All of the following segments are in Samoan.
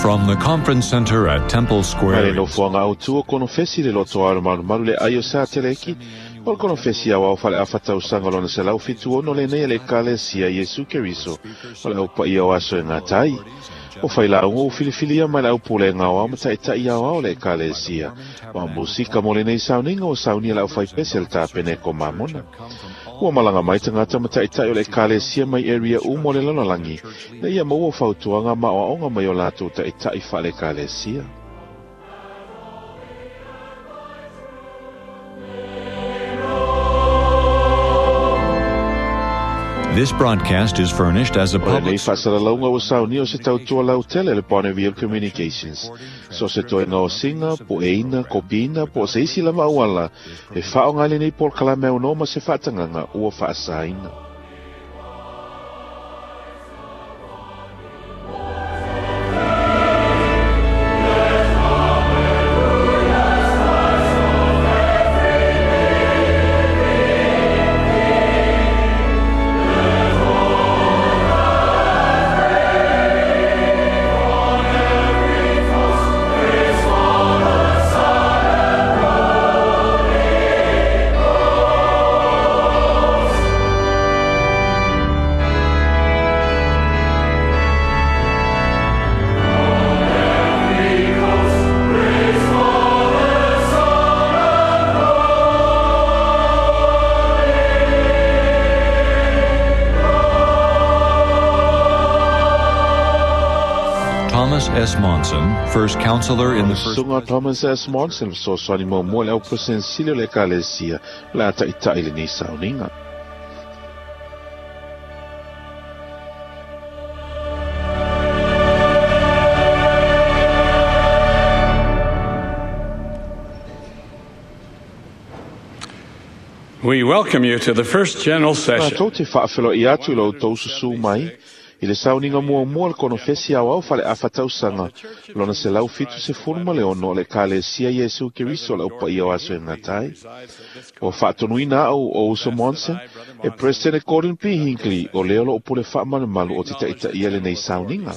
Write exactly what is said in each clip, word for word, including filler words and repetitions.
From the conference center at Temple Mai Square. le nofoaga autu o konofesi le loto ao le malumalu le ai o sa teleki. O le konofesi au au fale afa tausaga lona selau fitu ono lenei le ekalesia Iesu Keriso. O le au paia o aso e ngatai. O whailauga o filifilia mai le au pulega o ao ma ta'ita'i aoao le ekalesia. Wa musika mo lenei sauniga o saunia le au faipese le tapeneko mamona. Ua malaga mai tagata ma ta'ita'i o le ekalesia mai area uma o le lalolagi. Na ia maua fautuaga ma aoaoga mai o latou ta'ita'i fa'ale-ekalesia. This broadcast is furnished as a O lenei public fa'asalalauga ua saunia o se tautua lautele le Bonneville Communications. So se toega o siga, po'eina, kopiina, po o se isi lava auala, e fa'aoga ai lenei polokalame aunoa ma se fa'atagaga ua fa'asaina. Thomas S. Monson, first counselor in the first Susuga Thomas S. Monson fesoasoani muamua le au peresetene o le ekalesia o le a ta'ita'i lenei sauniga. We welcome you to the first general session. Matou te fa'afelo'i atu i lo outou susū mai i le sauniga muamua le konofesi aoao fale'afa tausaga lona selau fitu sefulu ma le ono o le ekalesia Iesu Keriso o le aupaia o aso e gatai. Ua fa'atonuina a'u o uso Monson e President Gordon P. Hinckley o lea o lo'o pule fa'amalumalu o te ta'ita'ia lenei sauniga.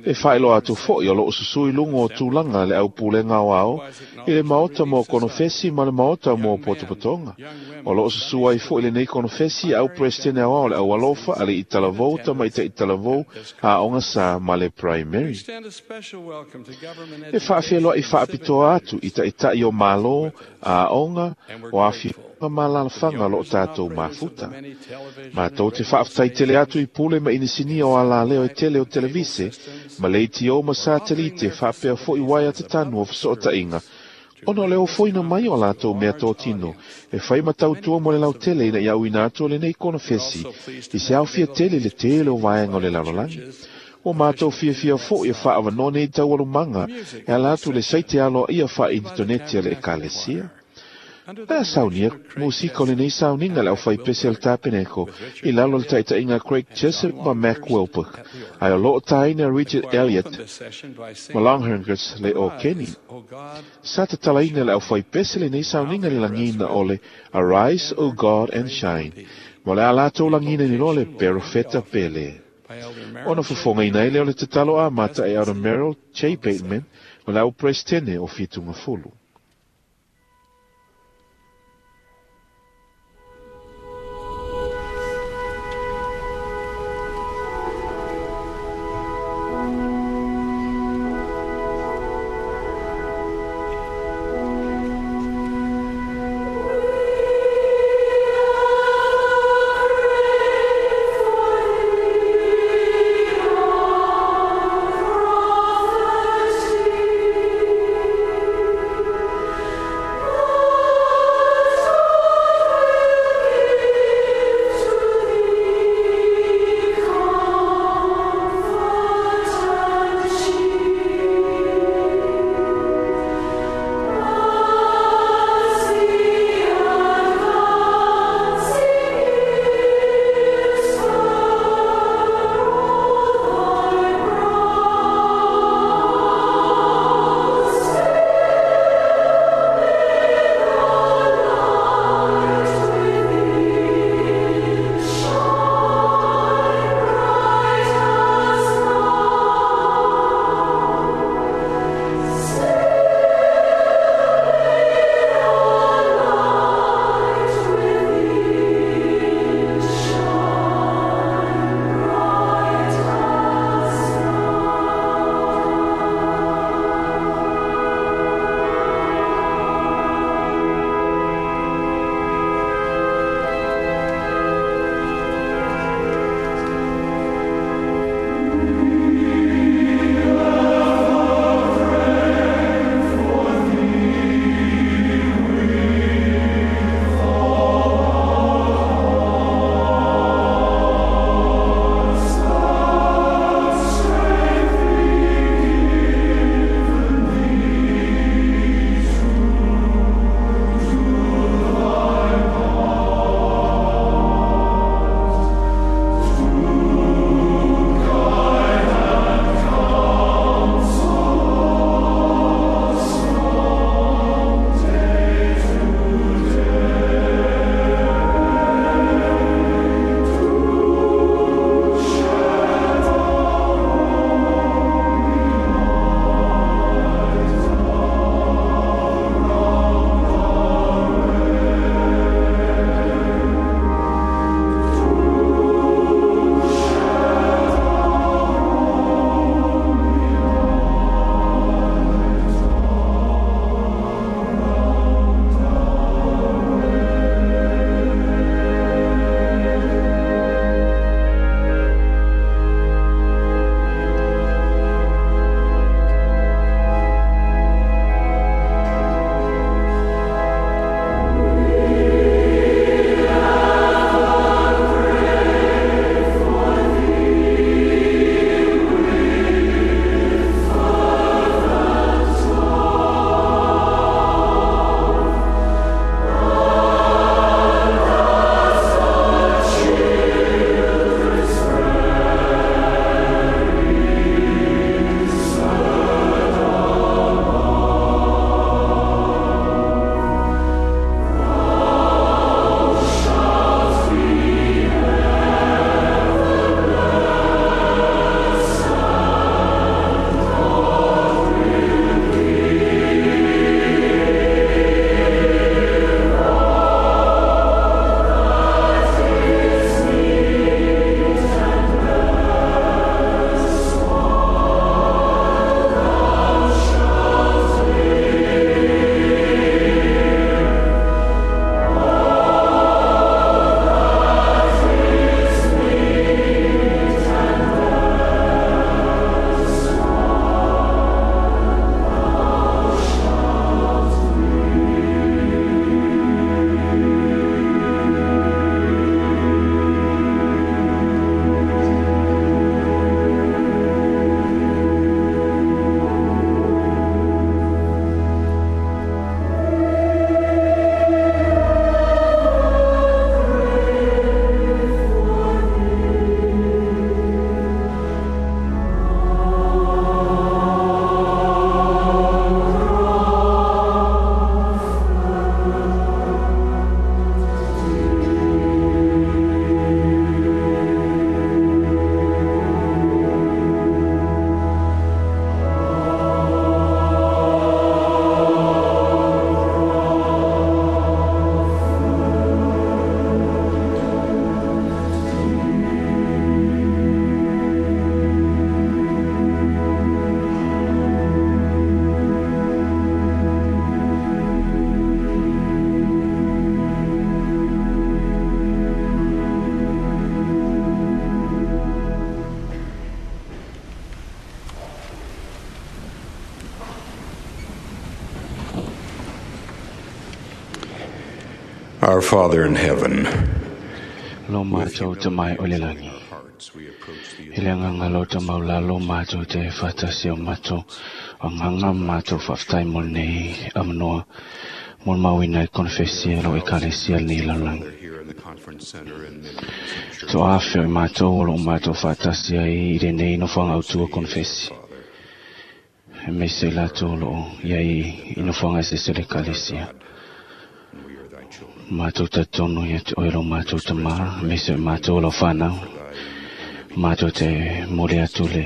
E fa'ailoa atu fo'i o lo'o susū i luga o tulaga le aupulega aoao i le maota mo konofesi ma le maota mo potopotoga. O lo'o susū ai fo'i lenei konofesi au President aoao le aualofa a le italavou tamaita'i talavou a'oga sa ma le primary. E fa'afeloa'i fa'apitoa atu i ta'ita'i o malo, a'oga, o afioga ma alalafaga o lo'o tatou mafuta. Matou te fa'afetaitele atu i pule ma inisinia o alaleo e tele o televise, ma leitio ma satelite fa'apea fo'i uaea tatanu o feso'ota'iga, ona o le ofoina mai o latou mea totino, e fai ma tautua mo le lautele ina ia auina atu o lenei konofesi, i se aofia tele le tele o vaega o le lalolagi. Ua matou fiafia fo'i e fa'avanoa nei taualumaga e ala atu le saite aloa'ia fa'ainitoneti a le ekalesia. Le saunia musika o lenei sauniga le au faipese o le tapeneko i lalo o le ta'ita'iga Craig Jessup ma Mac Wilbur, ae o lo'o tāina Richard Elliott ma Longhurst le o Kenny. Sa tatalaina le au faipese lenei sauniga le lagina o le Arise, O God, and Shine, ma le a latou lagina ni loa le Perofeta Pele. Ona fofogaina ai lea o le tatalo amata e Elder Merrill J. Bateman o le au peresetene o Fitugafulu. Thank you. Our Father in heaven, Lo mātou te mai o le langi. I le nganga lo te maulalo mātou te whatasi o mātou. O nganga mātou whaftai mo nei amanoa. Mo mauina e konfesia lo e kalesia nei laulangi. To awheo i mātou o lo mātou whatasi ai i le nei no whanga autua konfesi. E meise lātou lo iai i no whanga se se le kalesia. Mātou tatono ia te oero mātou te mā, meise mātou lo whanau. Mātou te mole atu le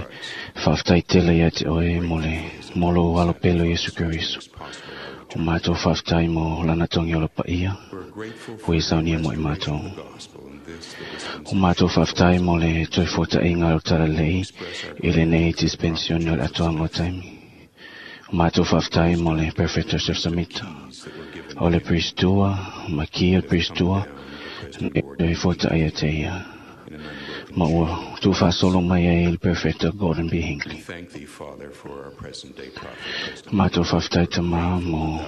whaftai tele ia te oe mole molo alo pelo Yesu Keriso. O mātou whaftai mo lana tongi o lo paia, hui saunia mo i mātou. O mātou whaftai mo le toi fota inga o tara lei, i le nei dispensioni o le atoanga o taimi. O mātou whaftai mo le Perfect Joseph Samita. O le Pristua, Makia Pristua, e fota ia te ia. Ma ua tū solo mai ai le Perfecto Gordon B. Hinckley. Mātou whaftai te maa mo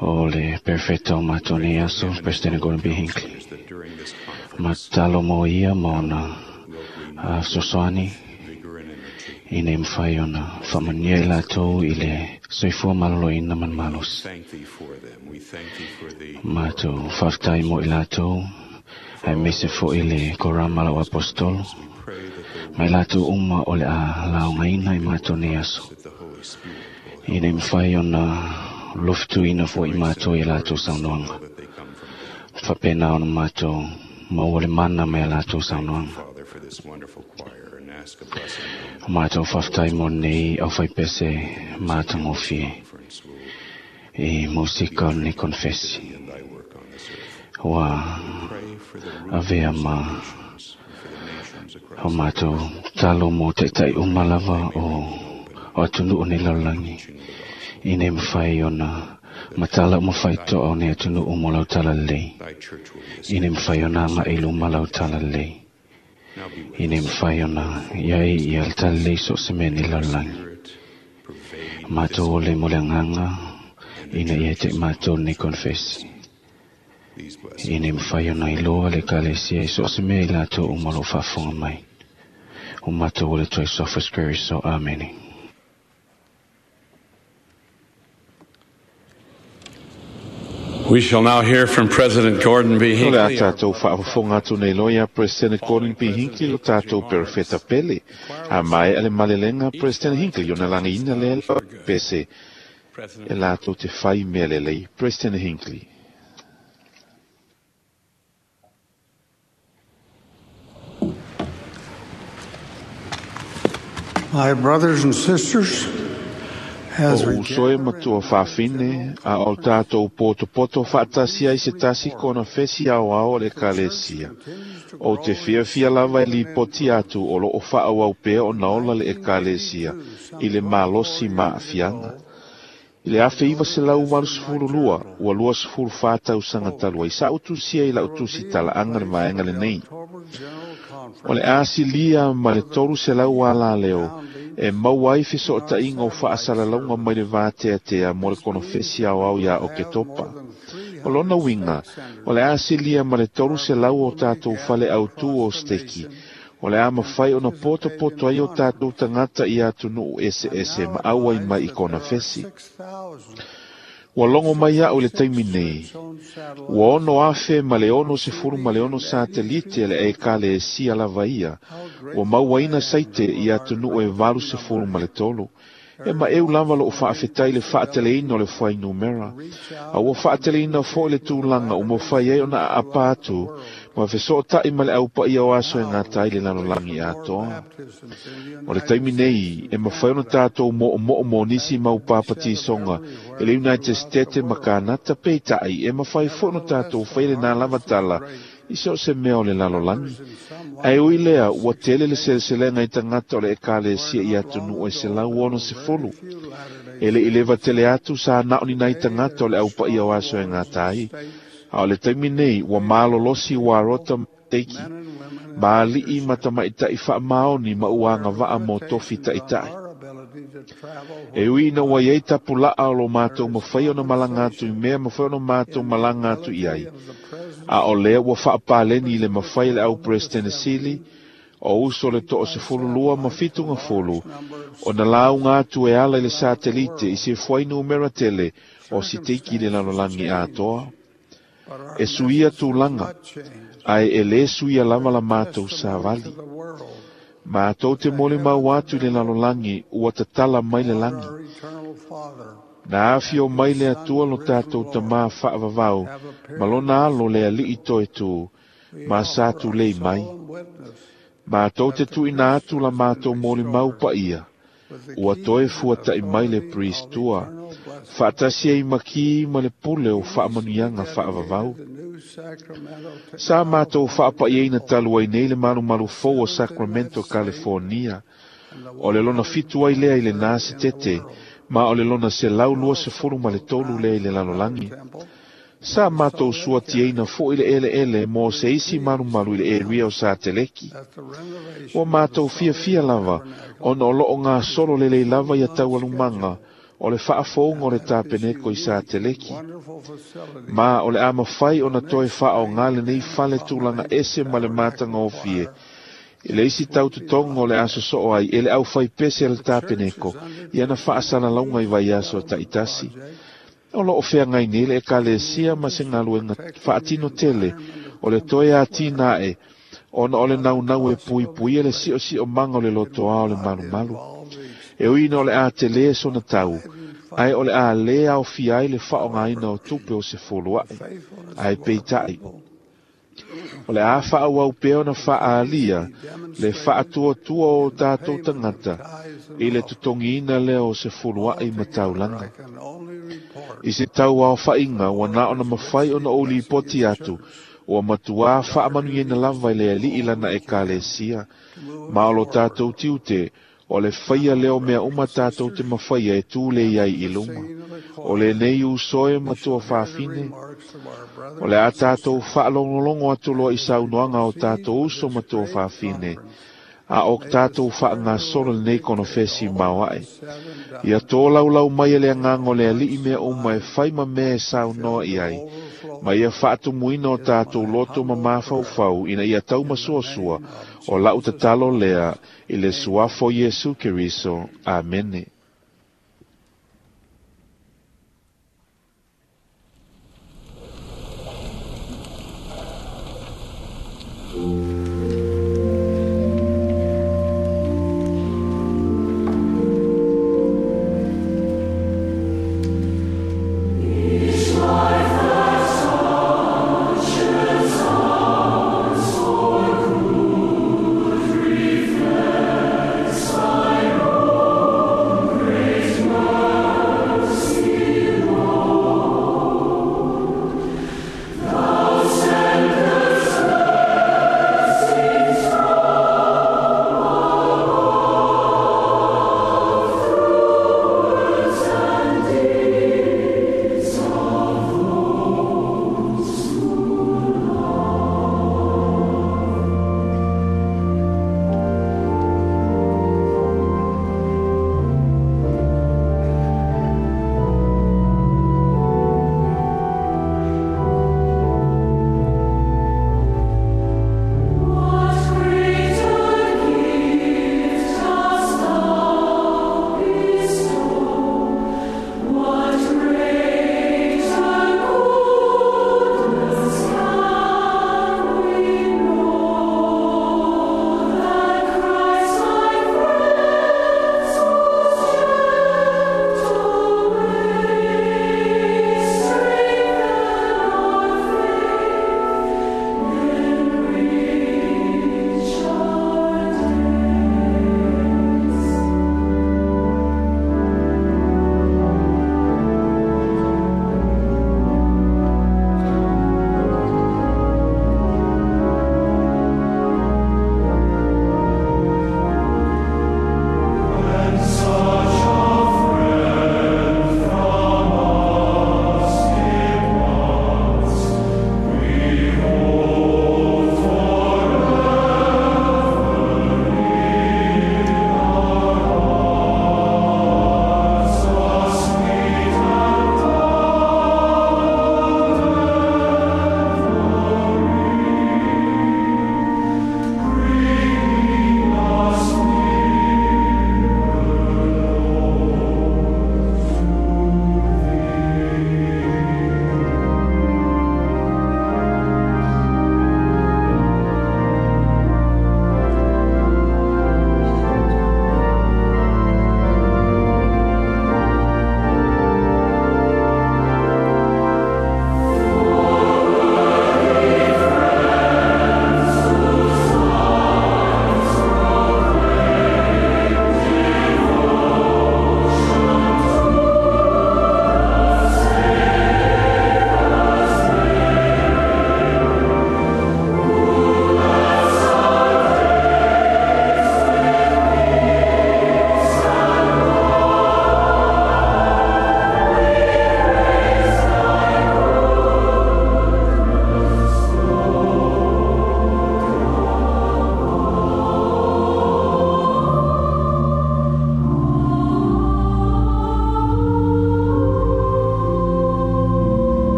o le Perfecto mātou nei aso, President Gordon B. Hinckley. Ma talo mo ia mo na sosoani i nei mwhai ona whamania i lātou i le soifua malolo i naman malos. Mātou whaftai mo i lātou ai mese fo i le korama lau apostolo. Mai lātou uma o le a laongaina i mātou nei aso. I nei mwhai ona loftuina fo i mātou i lātou saunoanga. Whapena ona mātou maua le mana mai a lātou saunoanga. Mātou whaftai mo nei au whaipese mātangofie i musika o nei konfesi. Wa avea ma o mātou talo mo te tai umalava o o atunu o nei laulangi. I nei mwhai ona matala o mwhai toa o nei atunu o mo lau tala lei. I nei mwhai ona nga ilu malau tala lei. I nei mwhai ona iai i al tala lei so se mea nei laulangi. Mātou ole mo le nganga ina ia te mātou nei konfesi. I nei mwhai ona i loa le kalesia i so se mea i lātou o malo whafonga mai. O mātou ole toi sofas Keriso. Amene. We shall now hear from President Gordon B. O le a Hinckley. tātou whaafofonga atu nei loia President Gordon B. Hinckley lo tātou perfeta pele. A mai ale malelenga President Hinckley o na langi ina le pese e lātou te whai mea lelei. President Hinckley. My brothers and sisters, as O we usoe matua whawhine a o tātou poto poto whaatasi ai se tasi kona fesi au ao le kalesia. O te whiawhia lava i lipoti atu o lo o whaau au pea o naola le ekalesia i le malosi maafyanga. I le afe iwa se lau walu sefulu lua, ua lua sefulu whātau sangatalua. I sa utusia i la utusi tala anga le vaenga le nei. O le asilia ma le toru se lau ala leo, e mau ai fiso o tainga o whaasalalaunga mai le vātea tea mo le konofesi au au ia o ke topa. O lona winga, o le asilia ma le toru se lau o tātou whale au tū o steki. O le ama whai ona poto poto ai o tātou tangata i atu nuu ese ese ma au ai mai i konofesi. Ua longo mai au le taimi nei. Ua ono afe ma le ono se furu ma le ono satelite le e kale e sia lava ia. Ua mauaina saite i atu nuu e valu se furu ma le tolu. E ma eu lava lo o whaafetai le whaateleina o le whai numera. A ua whaateleina fo le tūlanga o mo whai ai ona a apatu ma feso tai ma le au paia o aso e ngā tai le lalolangi atoa. O le taimi nei, e mawhai ona tātou mo o mo o mo nisi mau pāpati songa e le United States ma Kanata peitai e mawhai fo ona tātou whai le nā lava tala i se o se mea o le lalolangi. Ai ui lea, ua tele le seleselenga i tangata o le ekalesia i atu nuu e se lau ono se folu. E le ileva tele atu sa nao ni nai tangata o le au paia o aso e ngā tai. A o le taimi nei, ua malolosi ua rota teiki. Maali'i matamaita'i whaamaoni ma uanga waa mō tofi ta'itai. E ui ina ua iai tapula'a o lo matou mafai ona malaga atu i mea mafai ona matou malaga atu i ai. A o lea ua faapaleni i le mafai e le au Peresetene Sili, o uso le to'o sefululua ma fitugafulu, ona lauga atu e ala i le satelite i se fuainumera tele o siteiki i le lalolagi atoa. E suia tulaga, ae e lē suia lava la matou savali. Matou te molimau atu i le lalolagi ua tatala mai le lagi. Na afio mai le Atua lo tatou tamā faavavau ma lona alo le ali'i toetū, ma sa tulei mai. Matou te tuuina atu la matou molimau paia, ua toe fuata'i mai le Pristua, faatasi ai ma ki ma le pule o faamanuiaga faavavau. Sa matou faapaiaina talu ai nei le malumalu fou o Sacramento, California, o le lona fitu ai lea i lenā setete, ma o le lona selau luasefulu ma le tolu lea i le lalolagi. Sa matou suatiaina fo'i le eleele mo se isi malumalu i le area o Sateleki. Ua matou fiafia lava, ona o loo gasolo lelei lava ia taualumaga o le faafouga o le tapeneko i Sateleki. Ma o le a mafai ona toe faaogā lenei fale tulaga ese ma le matagofie, i le isi tautotoga o le a sosoo ai e le aufaipese a le tapeneko ia na faasalalauga i vaiaso ta'itasi. O loo feagai nei le Ekalesia ma se galuega faatino tele o le toe atina ae, ona o le naunau e puipuia le si'osi'omaga o le lotoā o le malumalu. E ui ina o le a telē sona tau, ae o le a lē aofia ai le faaogāina o tupe o se fulua'i. Ae peita'i, o le a faaauau pea ona faaalia le faatuatua o tatou tagata i le totogiina lea o se fulua'i ma taulaga. I se tau aofa'iga ua na ona mafai ona ou lipoti atu, ua matuā faamanuiaina lava i le Ali'i lana Ekalesia, ma o lo tatou tiute, o le faia lea o mea uma tatou te mafaia e tū lei ai i luma. O lenei uso e ma tuafafine, o le a tatou faalogologo atu loa i saunoaga o tatou uso ma tuafafine, a o tatou faagasolo lenei konofesi maoae. Ia tōlaulau mai e le agaga o le Ali'i mea uma e fai ma mea e saunoa i ai, ma ia faatumuina o tatou loto ma mafaufau ina ia taumasuasua o la'u tatalo lea i le suafa o Iesu Keriso. Amene. Thou sendest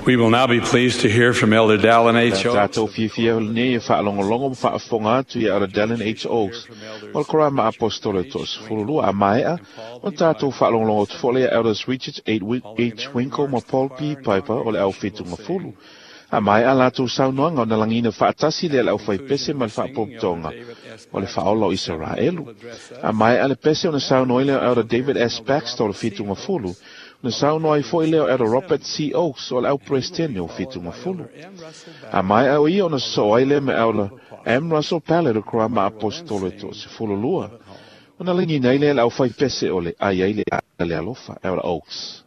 We will now be pleased to hear from Elder Dallin H. Oaks. Tātou fiafia lenei e faalogologo ma faafofoga atu ia Elder Dallin H. Oaks o le Korama Aposetolo e toasefululua a maea o tātou faalogologo atu foi lea Elders Richard H. Winkle ma Paul P. Piper o le au fitugafulu. A maea latou saunoaga ona lagiina faatasi lea le aufaipese ma le faapopotoga o le faaola o Isaraelu. A maea le pese ona saunoa ai lea o Elder David S. Baxter o le fitugafulu na saunoa ai foi lea o Elder Robert C. Oaks o le au Peresetene o fitugafulu. A maea o ia ona sosoo ai lea ma Elder M. Russell Ballard o Korama Aposetolo e toasefululua. Ona lagiina ai lea le aufaipese o le ai ai le le alofa, Elder Oaks.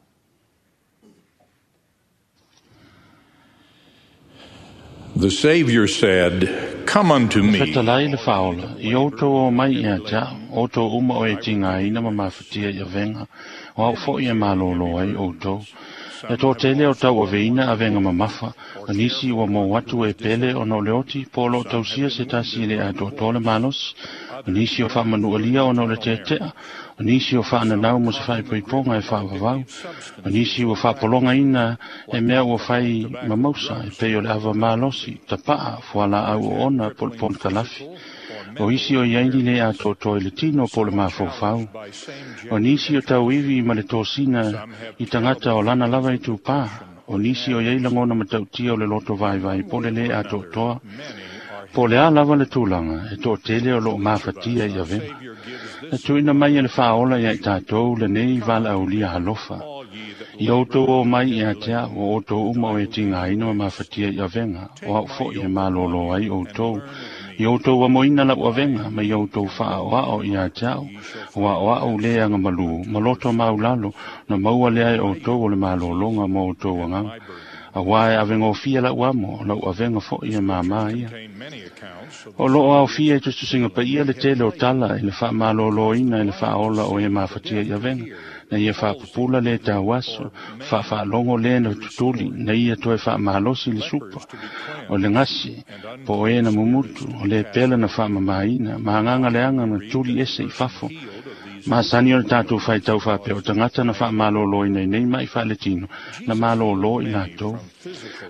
The Savior said, "Come unto me." Fetalai le faaola, i outou o mai ia te au, outou uma o e tigaina ma mafatia i avega, o au foi e malōlō ai outou. E toatele o tauaveina avega mamafa, o nisi ua mou atu e pele ona o le oti, po o loo tausia se tasi i le atoatoa le malosi, o nisi o faamanualia ona o le tetea, o nisi o faananau mo se faaipoipoga e faavavau, o nisi ua faapologaina e mea ua fai mamausa e pei o le ava malosi, tapaa, fualaau oona po o le ponikalafi. O isi o iai ni le atoatoa i le tino po o le mafaufau. O nisi o tauivi ma le tosina i tagata o lana lava i tupā. O nisi o iai lagona matautia o le loto vaivai po o le lē atoatoa. Po o le a lava le tulaga e toatele o loo mafatia i avega. Na tuuina mai e le faaola ia i tatou lenei valaaulia alofa. I outou o mai ia te au, o outou uma o e tigaina ma mafatia i avega, o au foi e malōlō ai outou. I outou amoina lau avega, ma i outou faaoao ia te au, o aoao le agamalū, ma loto maulalo, na maua lea e outou o le malōlōga ma outou agaga. Auā e avegofia lau amo, lau avega foi e māmā ia. O loo aofia i tusitusiga paia le tele o tala i le faamalōlōina i le faaola o e mafatia i avega, na ia faapupula le tauaso, faafaalogo le na tutuli, na ia toe faamalosi le supa, o le gasi, po o e na mumutu, o le pela na faamamaina, ma agaga leaga na tuli ese i fafo. Masani o le tatou faitau faapea o tagata na faamalōlōina i nei mai faaletino, na malōlō i latou.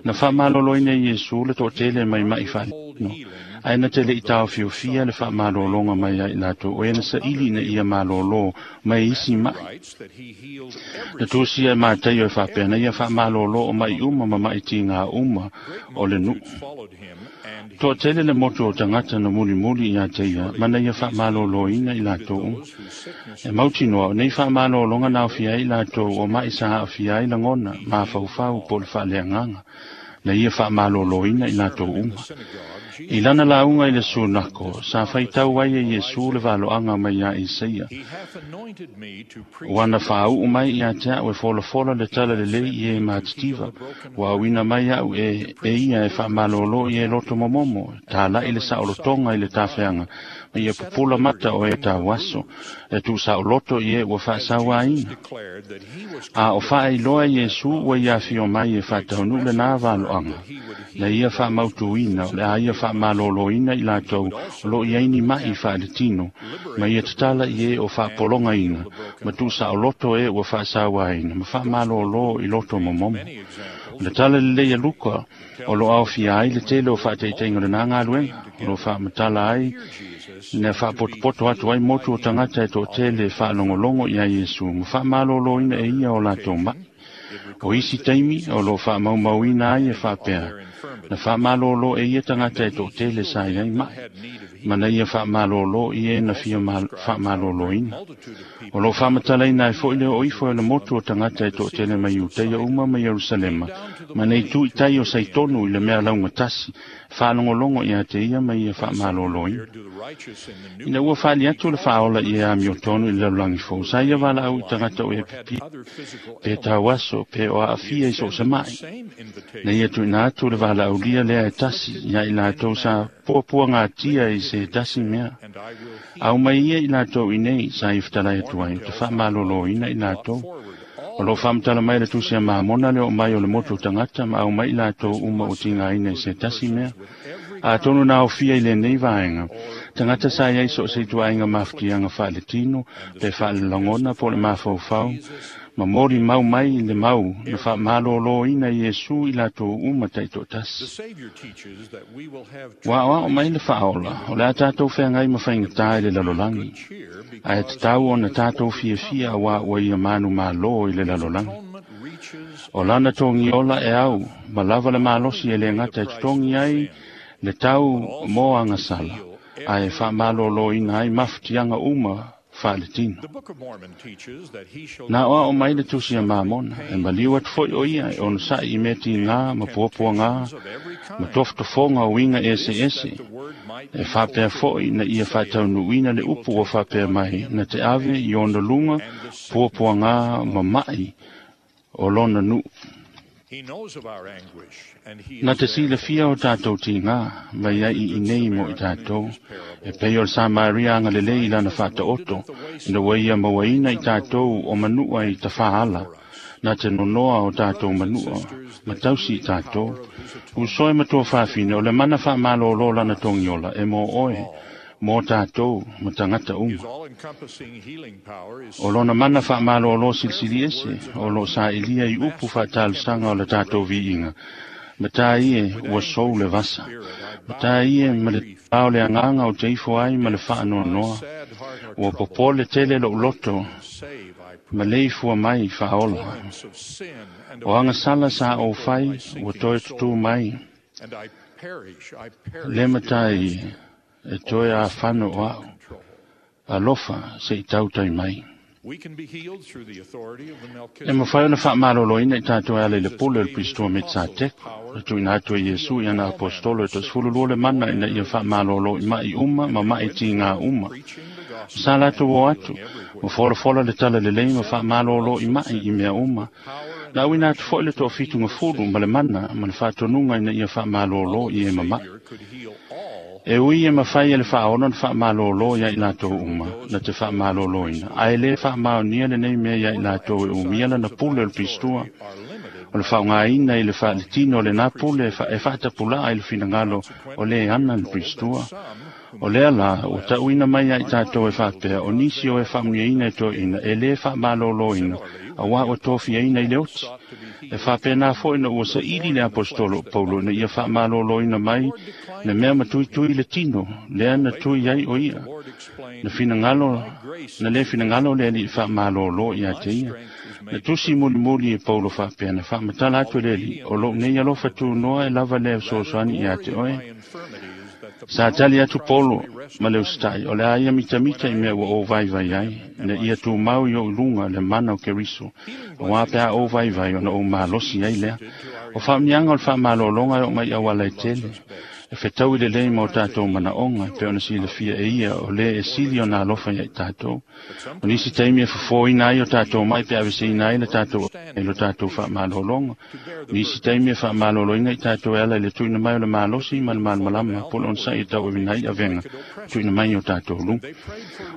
Na faamalōlōina e Iesu le toatele mai mai faaletino, ae na te leʻi taofiofia le faamalōlōga mai ai latou o e na saili ina ia malōlō mai isi maʻi. Na tusia e Mataio e faapea na ia faamalōlō o maʻi uma ma maʻi tigā uma o le nuu. Toatele le motu o tagata na mulimuli ia te ia, ma na ia faamalōlōina i latou uma. E mautinoa o nei faamalōlōga na aofia ai latou o maʻi sa aafia ai lagona, mafaufau po o le faaleagaga, na ia faamalōlōina i latou uma. I lana lauga i le sunako, sa faitau ai e Iesu le valoaga mai ia Isaia. Ua na faauu mai ia te au e folafola le tala lelei i e matitiva, ua auina mai au e, e ia e faamalōlō i e loto momomo, talaʻi le saolotoga i le tafeaga, ma ia pupula mata o e tauaso, e tuusaoloto i e ua faasauaina. A o faailoa Iesu ua ia afio mai e faataunuu lenā valoaga, na ia faamautuina o le a ia faamalōlōina i latou o loo iai ni maʻi faaletino, ma ia tatala i e o faapologaina, ma tuusaoloto e ua faasauaina, ma faamalōlō i loto momomo. O le tala lelei a Luka, o loo aofia ai le tele o faataitaiga o lenā galuega, o loo faamatala ai na faapotopoto atu ai motu o tagata e toatele e faalogologo iā Iesu ma faamalōlōina e ia o latou maʻi. O isi taimi o loo faamaumauina ai e faapea, na faamalōlō e ia tagata e toatele sa i ai maʻi, ma na ia faamalōlō i e na fia faamalōlōina. O loo faamatalaina ai foi le oo ifo e le motu o tagata e toatele mai Iutaia uma ma Ierusalema, ma nei tu i tai o saitonu i le mea laugatasi, faalogologo ia te ia ma ia faamalōlōina. Ina ua faali atu le faaola i e amiotonu i le lalolagi fou, sa ia valaau i tagata o e pipii, pe tauaso, pe o aafia i so o se maʻi. Na ia tuuina atu le valaaulia lea e tasi, ia i latou sa puapuagatia i se tasi mea. Au mai ia i latou i nei, sa ia fetalai atu ai, o te faamalōlōina i latou. O loo faamatala mai le tusi a Mamona le oo mai o le motu o tagata ma au mai i latou uma o tigaina i se tasi mea. Atonu na aofia i lenei vaega, Tagata sa iai so o se ituaiga mafutiaga faaletino pe faalelagona po o le mafaufau ma moli mau mai le mau na faamalōlōina Iesu i latou uma taitoatasi. Ua aoao mai le faaola o le a tatou feagai ma faigatā i le lalolagi, ae tatau ona tatou fiafia auā ua ia manumālō i le lalolagi. O lana togiola e au ma lava le malosi e lē gata e totogi ai le tau mo agasala, ae faamalōlōina ai mafutiaga uma faaletino. Na aoao mai le tusi a Mamona, e maliu atu foʻi o ia e onosaʻi i mea tigā ma puapuagā ma tofotofoga o uiga eseese, e faapea foʻi na ia faataunuuina le upu ua faapea mai na te ave i ona luga puapuagā ma maʻi o lona nuu. Na te silafia o tatou tigā mai ai i nei mo i tatou, e pei o le Samaria agalelei i lana faataoto, ina ua ia mauaina i tatou o manua i tafaala, na te nonoa o tatou manua, ma tausi i tatou. Usoe matua fafine o le mana faamalōlō lana togiola e mo oe, mo tatou ma tagata uma. O lona mana faamalōlō silisili ese, o loo saʻilia i upu faatalosaga o le tatou viiga, ma tā ie ua sou le vasa, ma tā ie ma le ao le agaga o te ifo ai ma le faanoanoa, ua popole tele lou loto, ma le ifua mai faaola. O agasala sa ou fai, ua toe tutū mai, le matai e toe afano o a'u, alofa se i tautai mai. E mafai ona faamalōlōina i tatou e ala i le pule o le Pistoa Metsateko, na tuuina atu e Iesu i ana apostolo e toasefululua le mana ina ia faamalōlō i maʻi uma ma maʻi tigā uma. Sa latou o atu, ma folafola le tala lelei ma faamalōlō i maʻi i mea uma. Na auina atu foʻi le toafitugafulu ma le mana ma le faatonuga ina ia faamalōlō i e mamaʻi. E ui e mafai e le faaola na faamalōlō ia i latou uma, na te faamalōlōina, ae lē faamaonia lenei mea ia i latou e umia lana pule o le Pistua, o le faaaogāina i le faaletino o lenā pule e faatapulaa i le finagalo o lē ana le Pistua. O lea la, ua taʻuina mai ia i tatou e faapea, o nisi o e faamuiaina e toeʻina, e lē faamalōlōina, auā ua tofiaina i le oti. E faapena foʻi na ua saʻili le apostolo o Paulo ina ia faamalōlōina mai le mea matuitui le tino, lea na tui ai o ia. Na finagalo, na lē finagalo le alii faamalōlō ia te ia. Na tusi mulimuli e Paulo faapea, na faamatala atu e le alii, o lou nei alofa tunoa e lava lea fesoasoani ia te oe. Sa tali atu Polo ma le usitaʻi, o le a ia mitamita i mea ua ou vaivai ai, ina ia tumau i ou luga le mana o Keriso, auā pe a ou vaivai ona ou malosi ai lea. O faauniaga o le faamalōlōga e oo mai auala e tele, e fetaui lelei ma o tatou manaʻoga, pe ona silafia e ia o lē e sili ona alofa ia i tatou. O nisi taimi e fofōina ai o tatou mai pe aveseina ai le tatou e lo tatou faamalōlōga. Nisi taimi e faamalōlōina i tatou e ala i le tuuina mai o le malosi ma le malamalama po o le onosaʻi e tauavina ai avega tuuina mai o tatou luga.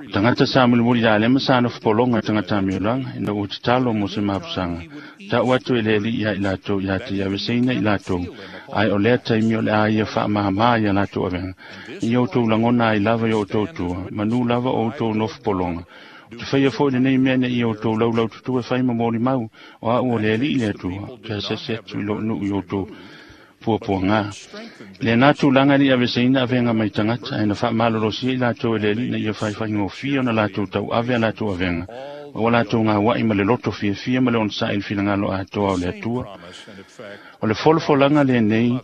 O tagata sa mulimuli lalema sa nofopologa tagata amiolaga, ina ua tatalo mo se mapusaga, taʻu atu e le alii ia i latou ia te aveseina i latou, ae o lea taimi o le a ia faamāmā ia latou avega. I outou lagona ai lava i outou tua, manu lava o outou nofopologa. O te faia foʻi lenei mea ina ia outou laulaututu e fai ma molimau, o a'u o le alii le Atua, te asasi atu i lou nuu i outou puapuagā. Lenā tulaga e liʻi aveseina avega mai tagata, ae na faamalolosia i latou e le alii ina ia faifaigofie ona latou tauave a latou avega, ma ua latou gauaʻi ma le loto fiafia ma le onosaʻi i le finagalo atoa o le Atua. O le folafolaga lenei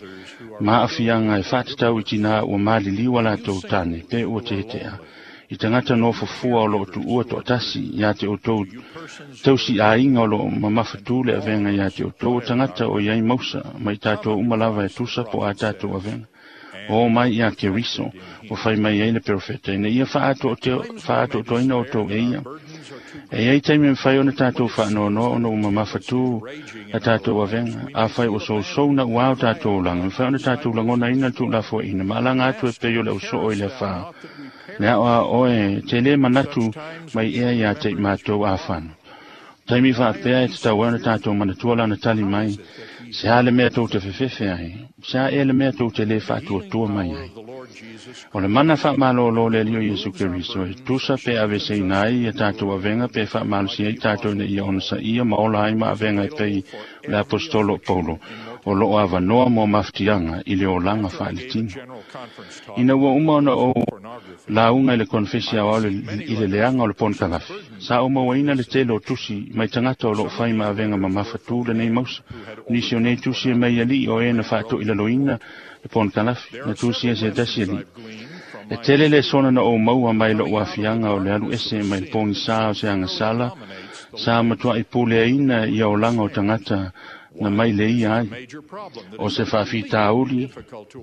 ma aafiaga e faatatau i tinā ua maliliu a latou tane pe ua teteʻa, i tagata nofofua o loo tuua toatasi ia te outou tausiʻaiga o loo mamafatū le avega ia te outou o tagata o iai mausa ma i tatou uma lava e tusa po a tatou avega. O mai ia Keriso, ua fai mai ai le perofeta, ina ia faaatoatoaina outou e ia. E iai taimi e mafai ona tatou faanoanoa ona ua mamafatū a tatou avega, afai ua sousou na uā o tatou olaga, mafai ona tatou lagonaina le tuulafoaina, ma alaga atu e pei o le ausoo i le afā. Le ao a oe, te lē manatu mai ea ia te i matou afano. Taimi faapea e tatau ai ona tatou manatua lana tali mai, Se a le mea tou te fefefe ai, se a ea le mea tou te le faatuatua mai ai. O le mana faamalōlō le Alii o Iesu Keriso e tusa pe aveseina ai ia tatou avega pe faamalosia ai tatou ina ia onosaia ma ola ai ma avega e pei o le aposetolo o Paulo o loo avanoa mo mafatiaga i le olaga faaletino. Ina ua uma ona ou lauga i le konefesi aoao i le leaga o le ponokalafi, sa ou mauaina le tele o tusi mai tagata o loo fai ma avega mamafatū lenei mausa. O nisi o nei tusi e mai alii o e na faatoʻilaloina le ponokalafi na tusia se tasi alii. E tele le sona na ou maua mai loʻu afiaga o le alu ese mai le pogisā o se agasala sa matuaʻi puleaina ia olaga o tagata na mai le ia ai. O se faafitauli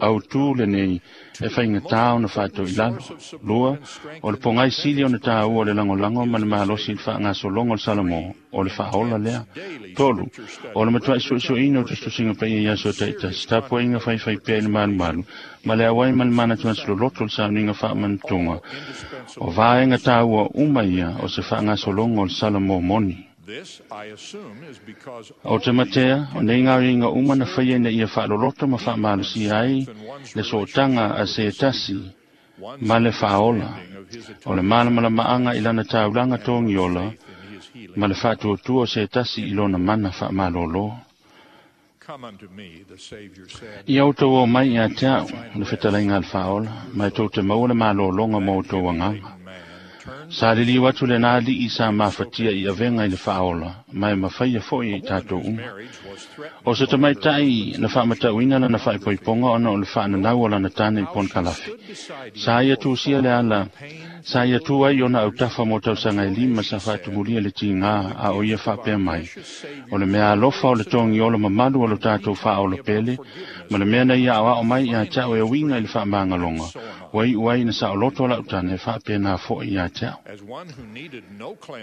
autū lenei e faigatā ona faatoʻilalo. Lua, o le pogai sili ona tāua o le lagolago ma le malosi i le faagasologa o le Salamo, o le faaola lea. Tolu, o le matuaʻi suesueina o tusitusiga paia i aso taʻitasi, tapuaiga faifai pea i le malumalu, ma le auai ma le manatuanasi loloto o le sauniga faamanutoga. O vaega tāua uma ia o se faagasologa o le Salamo moni. O te matea, o nei gaoioiga uma na faia ina ia faaloloto ma faamalosia ai le sootaga a se tasi ma le faaola. O le malamalamaaga i lana taulaga togiola ma le faatuatua o se tasi i lona mana faamalōlō. Ia outou o mai ia te a'u le fetalaiga a le faaola, ma e tou te maua le malōloga mo outou agaga. Sa liliu atu lenā alii sa mafatia i avega i le faaola, ma e mafaia foʻi i tatou uma. O se tamaitaʻi na faamatauina lana faaipoipoga ona o le faananau o lana tane i ponokalafi. Sa ia tusia le ala, sa ia tu ai ona autafa mo tausaga e lima sa faatumulia le tigā a o ia faapea mai. O le mea alofa o le togiola mamalu o lo tatou faaola pele, ma le mea na ia aoao mai ia te a'u e uiga i le faamagaloga, ua iʻu ai na saoloto o lau tane e faapenā foʻi ia te a'u.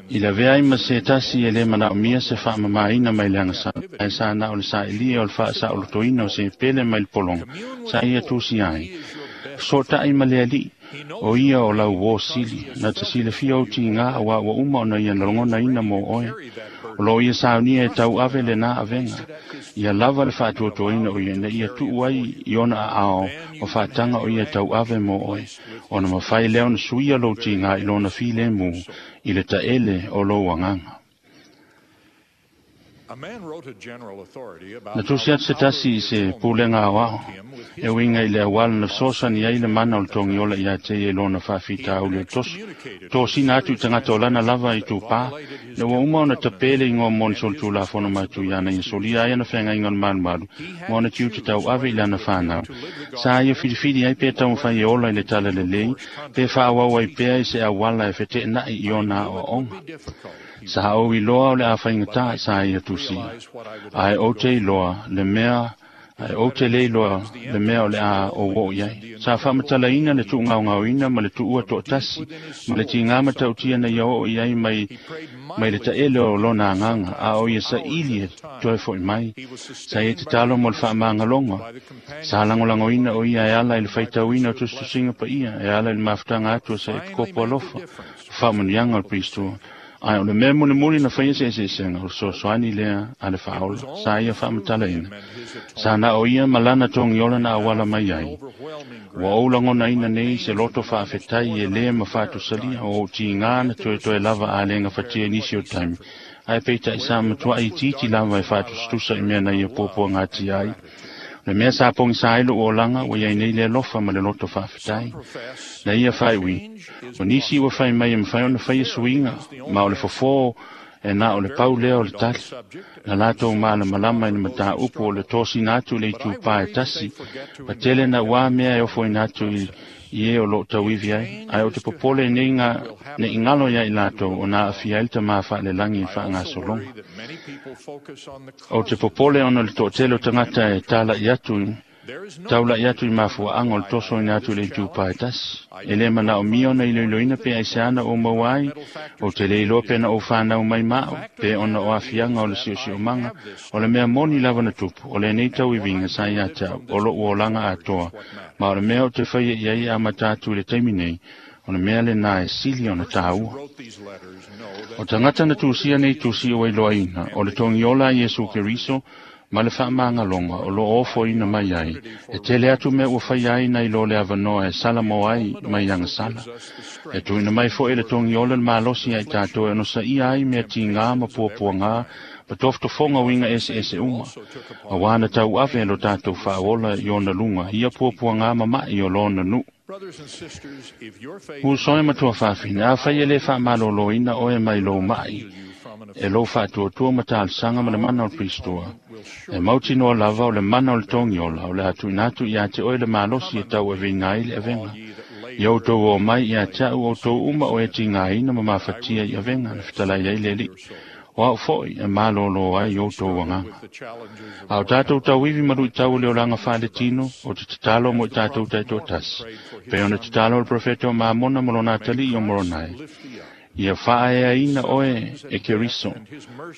I lavea ai ma se tasi e lē manaʻomia se faamamāina mai le agasala, ae sa na o le saʻilia o le faasaolotoina o se pele mai le pologa, sa ia tusia ai. Sotaʻi ma le alii, o ia o lau uō sili, na te silafia ou tigā auā ua uma ona ia lagonaina mo oe. O loo ia saunia e tauave lenā avega, ia lava le faatuatuaina o ia ina ia tuu ai i ona aao o faataga o ia tauave mo oe, ona mafai lea ona suia lou tigā i lona filemu i le taʻele o lou agaga. Na tusi atu se tasi i se pulega aoao, e uiga i le auala na fesoasoani ai le mana o le togiola ia te ia i lona faafitauli o le toso. Tosina atu i tagata o lana lava i tupā, ina ua uma ona tapē le igoa mo le solitulafono matuia ana ia solia ai ana feagaiga o le malumalu ma ona tiute tauave i lana fanau. Sa ia filifili ai pe taumafai e ola i le tala lelei, pe faaauau ai pea i se auala e feteenai i ona aoaoga. Sa ou iloa o le a faigatā sa ia tusia. Ae ou te iloa le mea ae ou te le iloa le mea o le a ou oo i ai. Sa faamatalaina le tuugaogaoina ma le tuua toʻatasi ma le tigā matautia na ia oo i ai mai mai le taʻele o lona agaga, a o ia saʻili e toe foʻi mai. Sa ia tatalo mo le faamagaloga. Sa lagolagoina o ia e ala i le faitauina o tusitusiga paia, e ala i le mafutaga atu o sa epikopo alofa, faamanuiaga o le Pistoa. Ae o le mea mulimuli na faia se eseesega o le fesoasoani lea a le faaola, sa ia faamatalaina. Sa na o ia ma lana togiola na auala mai ai. Ua ou lagonaina nei se loto faafetai e lē ma faatusalia o ou tigā na toetoe lava a le gafatia i nisi o taimi, ae peitaʻi sa matuaʻi itiiti lava e faatusatusa i mea na ia puapuagatia ai. Le mea sa pogisā ai loʻu olaga ua iai nei le alofa ma le loto faafetai. Na ia faaiuina, o nisi ua fai mai e mafai ona faia suiga, ma o le fofō e na o le pau lea o le tali. Na latou malamalama i le mataupu o le tosina atu i le itupā e tasi, patele na uā mea e ofoina atu i i e o loo tauivi ai, ae o te popole nei ngā ne i ngalo ia i latou o nā aafia ai le tamā faalelagi i le faagasologa. O te popole ona le toʻatele o tagata e talaʻi atu taulaʻi atu i mafuaaga o le tosoina atu i le itupā e tasi. E lē manaʻomia ona iloiloina pe aisea na ou maua ai, ou te le iloa pe na ou fanau mai ma au, pe ona o aafiaga o le siosiomaga, o le mea moni lava na tupu, o lenei tauiviga sa ia te a'u, o loʻu olaga atoa, ma o le mea ou te faia i ai e amata atu i le taimi nei, o le mea lenā e sili ona tāua. O tagata na tusia nei tusi ua iloaina, o le togiola a Iesu Keriso, Ma le faamagaloga o loo ofoina mai ai, e tele atu mea ua faia ai nai lo le avanoa e salamo ai mai agasala. E tuuina mai foʻi le togiola le malosi ai tatou e onosaia ai mea tigā ma puapuagā ma tofotofoga uiga eseese uma. Auā na tauave e lo tatou faaola i ona luga ia puapuagā ma maʻi o lona nuu. Uso e matua faafine, afai e lē faamalōlōina oe mai lou maʻi, e lou faatuatua ma talosaga ma le mana o le Kristoa. E mautinoa lava o le mana o le togiola o le atuʻina atu iā te oe le malosi e tauaveina ai le avega. Ia outou o mai iā te a'u outou uma o e tigāina ma mafatia i avega na fetalai ai le Alii. O a'u foʻi e malōlō ai outou agaga. A o tatou tauivi ma luʻitau o le olaga faaletino, o te tatalo mo i tatou taitoatasi. Pei ona tatalo o le profeta o Mamona ma lona atalii o Moronai. Ia faaeaina oe e Keriso,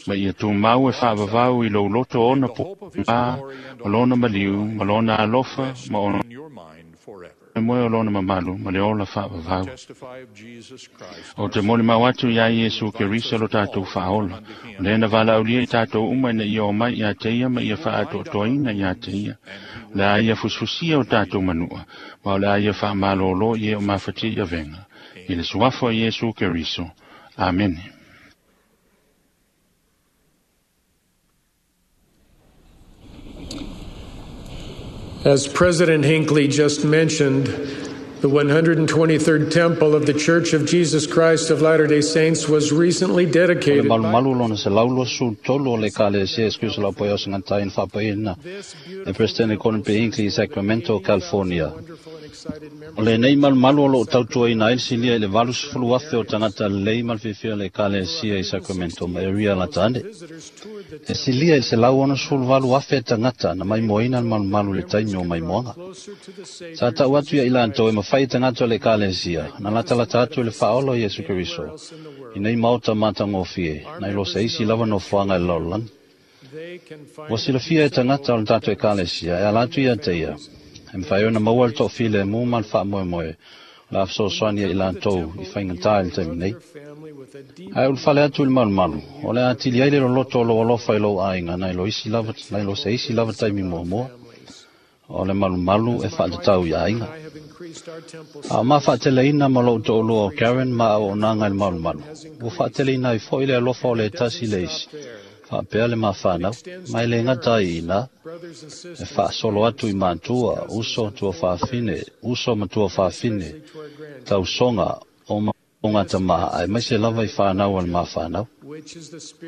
ma ia tumau e faavavau i lou loto ona pā, ma lona maliu, ma lona alofa, ma ona moe o lona mamalu, ma le ola faavavau. O te molimau atu iā Iesu Keriso lo tatou faaola, o lea na valaaulia i tatou uma ina ia omai iā te ia ma ia faaatoatoaina iā te ia. O le a ia fusifusia o tatou manua, ma o le a ia faamalōlō i e o mafatia i avega. I le suafa o Iesu Keriso. Amene. As President Hinckley just mentioned, the one hundred twenty-third Temple of the Church of Jesus Christ of Latter-day Saints was recently dedicated. O le malumalu lona selau luasefulu tolu o le Ekalesia Iesu Keriso o le Aupaia o Segatā na faapaia e President Gordon B. Hinckley i Sacramento, California. O lenei malumalu o loo tautuaina ai le silia i le valusefulu afe o tagata lelei ma le fiafia o le Ekalesia i Sacramento ma area lata ane. E silia i le selau onosefulu valu afe tagata na maimoaina le malumalu i le taimi o maimoaga. Sa tau atu ia i latou e mafai e tagata o le Ekalesia na latalata atu i le faaola o Iesu Keriso i nei maota matagofie nai lo se isi lava nofoaga i le lalolagi. Ua silafia e tagata o le tatou Ekalesia e ala atu ia te ia. E mafai ona maua le toafilemu ma le faamoemoe o le a fesoasoani ai i latou i faigatā i le taimi nei. Ae ulufale atu i le malumalu, o le a atili ai le loloto o lou alofa i lou aiga nai lo isi lava, nai lo se isi lava taimi muamua. O le malumalu e faatatau i aiga. A o mafaateleina ma lou toalua o Karen ma auaunaga i le malumalu, ua faateleina ai foʻi le alofa o le tasi le isi, faapea le mafanau, ma e le gata ai i ina, e faasolo atu i matua, uso tua faafine, uso ma tua faafine, tausoga o magatama'a aemaise lava i fanau a le mafanau.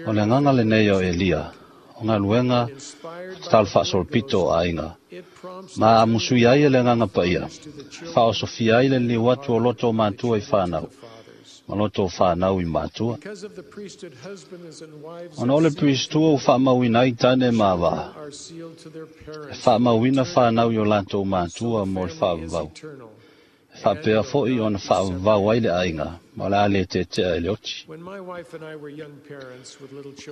O le agaga lenei o Elia, o galuega tatalo faasolopito o aiga, ma amusui ai e le agaga paia, faaosofia ai le liliu atu o loto o matua i fanau, ma loto o fanau i matua. Ona o le Pristua ua faamauina ai tane ma avā, e faamauina fanau i o latou matua mo le faavavau. E faapea foʻi ona faavavau ai le aiga, ma o le a le tetea e le oti.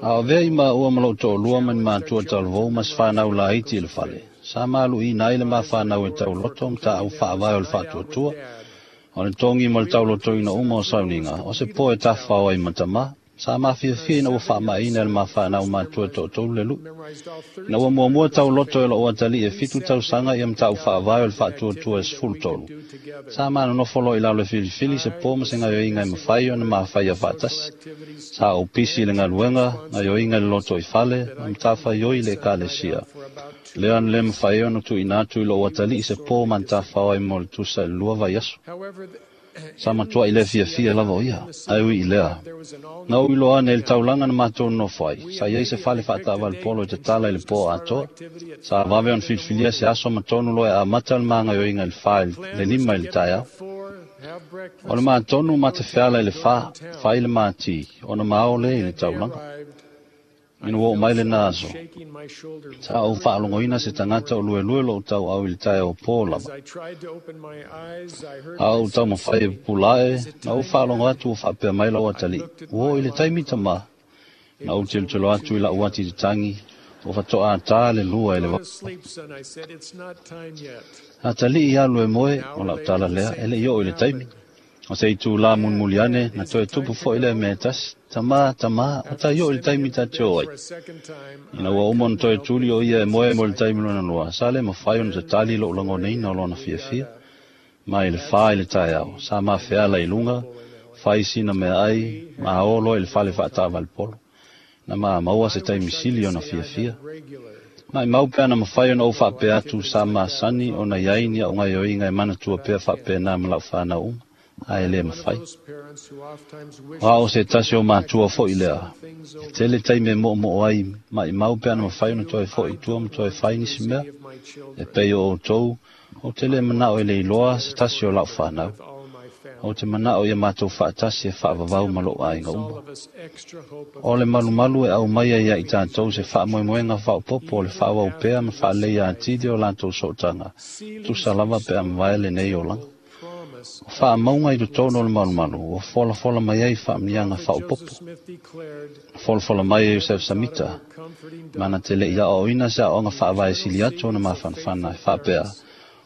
A o avea i maua ma lou toalua ma ni matua talavou ma se fanau laiti i le fale, sa maluʻina ai le mafanau e tauloto ma taau faavae o le faatuatua, o le togi ma le taulotoina uma o sauniga, o se po e tafafao ai ma tamā. Sa mafiafia ina ua faamaʻina e le mafanau matua toatolu le luʻu. Ina ua muamua tauloto e lou atalii e fitu tausaga ia ma taʻu faavae o le faatuatua e sefulu tolu. Sa manonofo loa i lalo e filifili se po ma se gaoioiga e mafai ona mafaia faatasi. Sa ou pisi i le galuega, gaoioiga i le loto i fale, ma matafaioi i le Ekalesia. Lea na le mafai ona tuuina atu i lou atalii se po ma tafafao ai mo le tusa i le lua vaiaso. Sa matuaʻi le fiafia lava o ia, ae ui i lea. Na ou iloa ane i le taulaga na matou nonofo ai, sa iai se fale faataavale polo i tatala i le po atoa. Sa vave ona filifilia se aso ma tonu loa e amata le magaioiga i le fa le lima i le taeao. O le matonu ma te feala i le fa, fai le mati, ona mao le i le taulaga. Ina ua oo mai lena aso, sa ou faalogoina se tagata o luelue lou tauau i le taeao pō lava. A ou taumafai e pupula ae, na ou faalogo atu ua faapea mai lau atalii, ua oo i le taimi tamā. Na ou tilotilo atu i lau ati tatagi, ua faatoʻatā le lua i le vao. Atalii alu e moe, o lau tala lea, e leʻi oo i le taimi. O se itulā mulimuli ane, na toe tupu fo'i lea mea e tasi, tamā, tamā, o tai oo i le taimi ta te o ai. Ina ua uma ona toe tuli o ia e moe mo le taimi lona lua, sa le mafai ona tatali lo'u lagonaina o lona fiafia. Ma i le fa i le taeao, sa mafeala i luga, fai sina meaai, ma o loa i le fale faata'avale polo. Na maua se taimi sili ona fiafia. Maʻimau pe ana mafai ona ou faapea atu sa masani ona i ai ni a'u gaioiga e manatua pea faapenā ma la'u fanau uma, ae lē mafai. O a'o se tasi o matua fo'i lea, e tele taimi e mo'omo'o ai, maʻimau pe ana mafai ona toe fo'i i tua ma toe fai nisi mea. E pei o outou, ou te lē mana'o e le iloa se tasi o la'u fanau. Ou te mana'o ia matou fa'atasi e fa'avavau ma lo'u aiga uma. O le malumalu e aumai ai ia i tatou se fa'amoemoega fa'aopoopo o le fa'aauau pea ma fa'aleleia atili o latou sootaga, tusa lava pe a mavae lenei olaga. O fa'amauga i totonu o le malumalu, ua folafola mai ai fa'amuniaga fa'aopoopo. Folafola mai e Iosef Samita, mana te le'i a'oa'oina se a'oa'oga fa'avae sili atu ona mafanafana e fa'apea,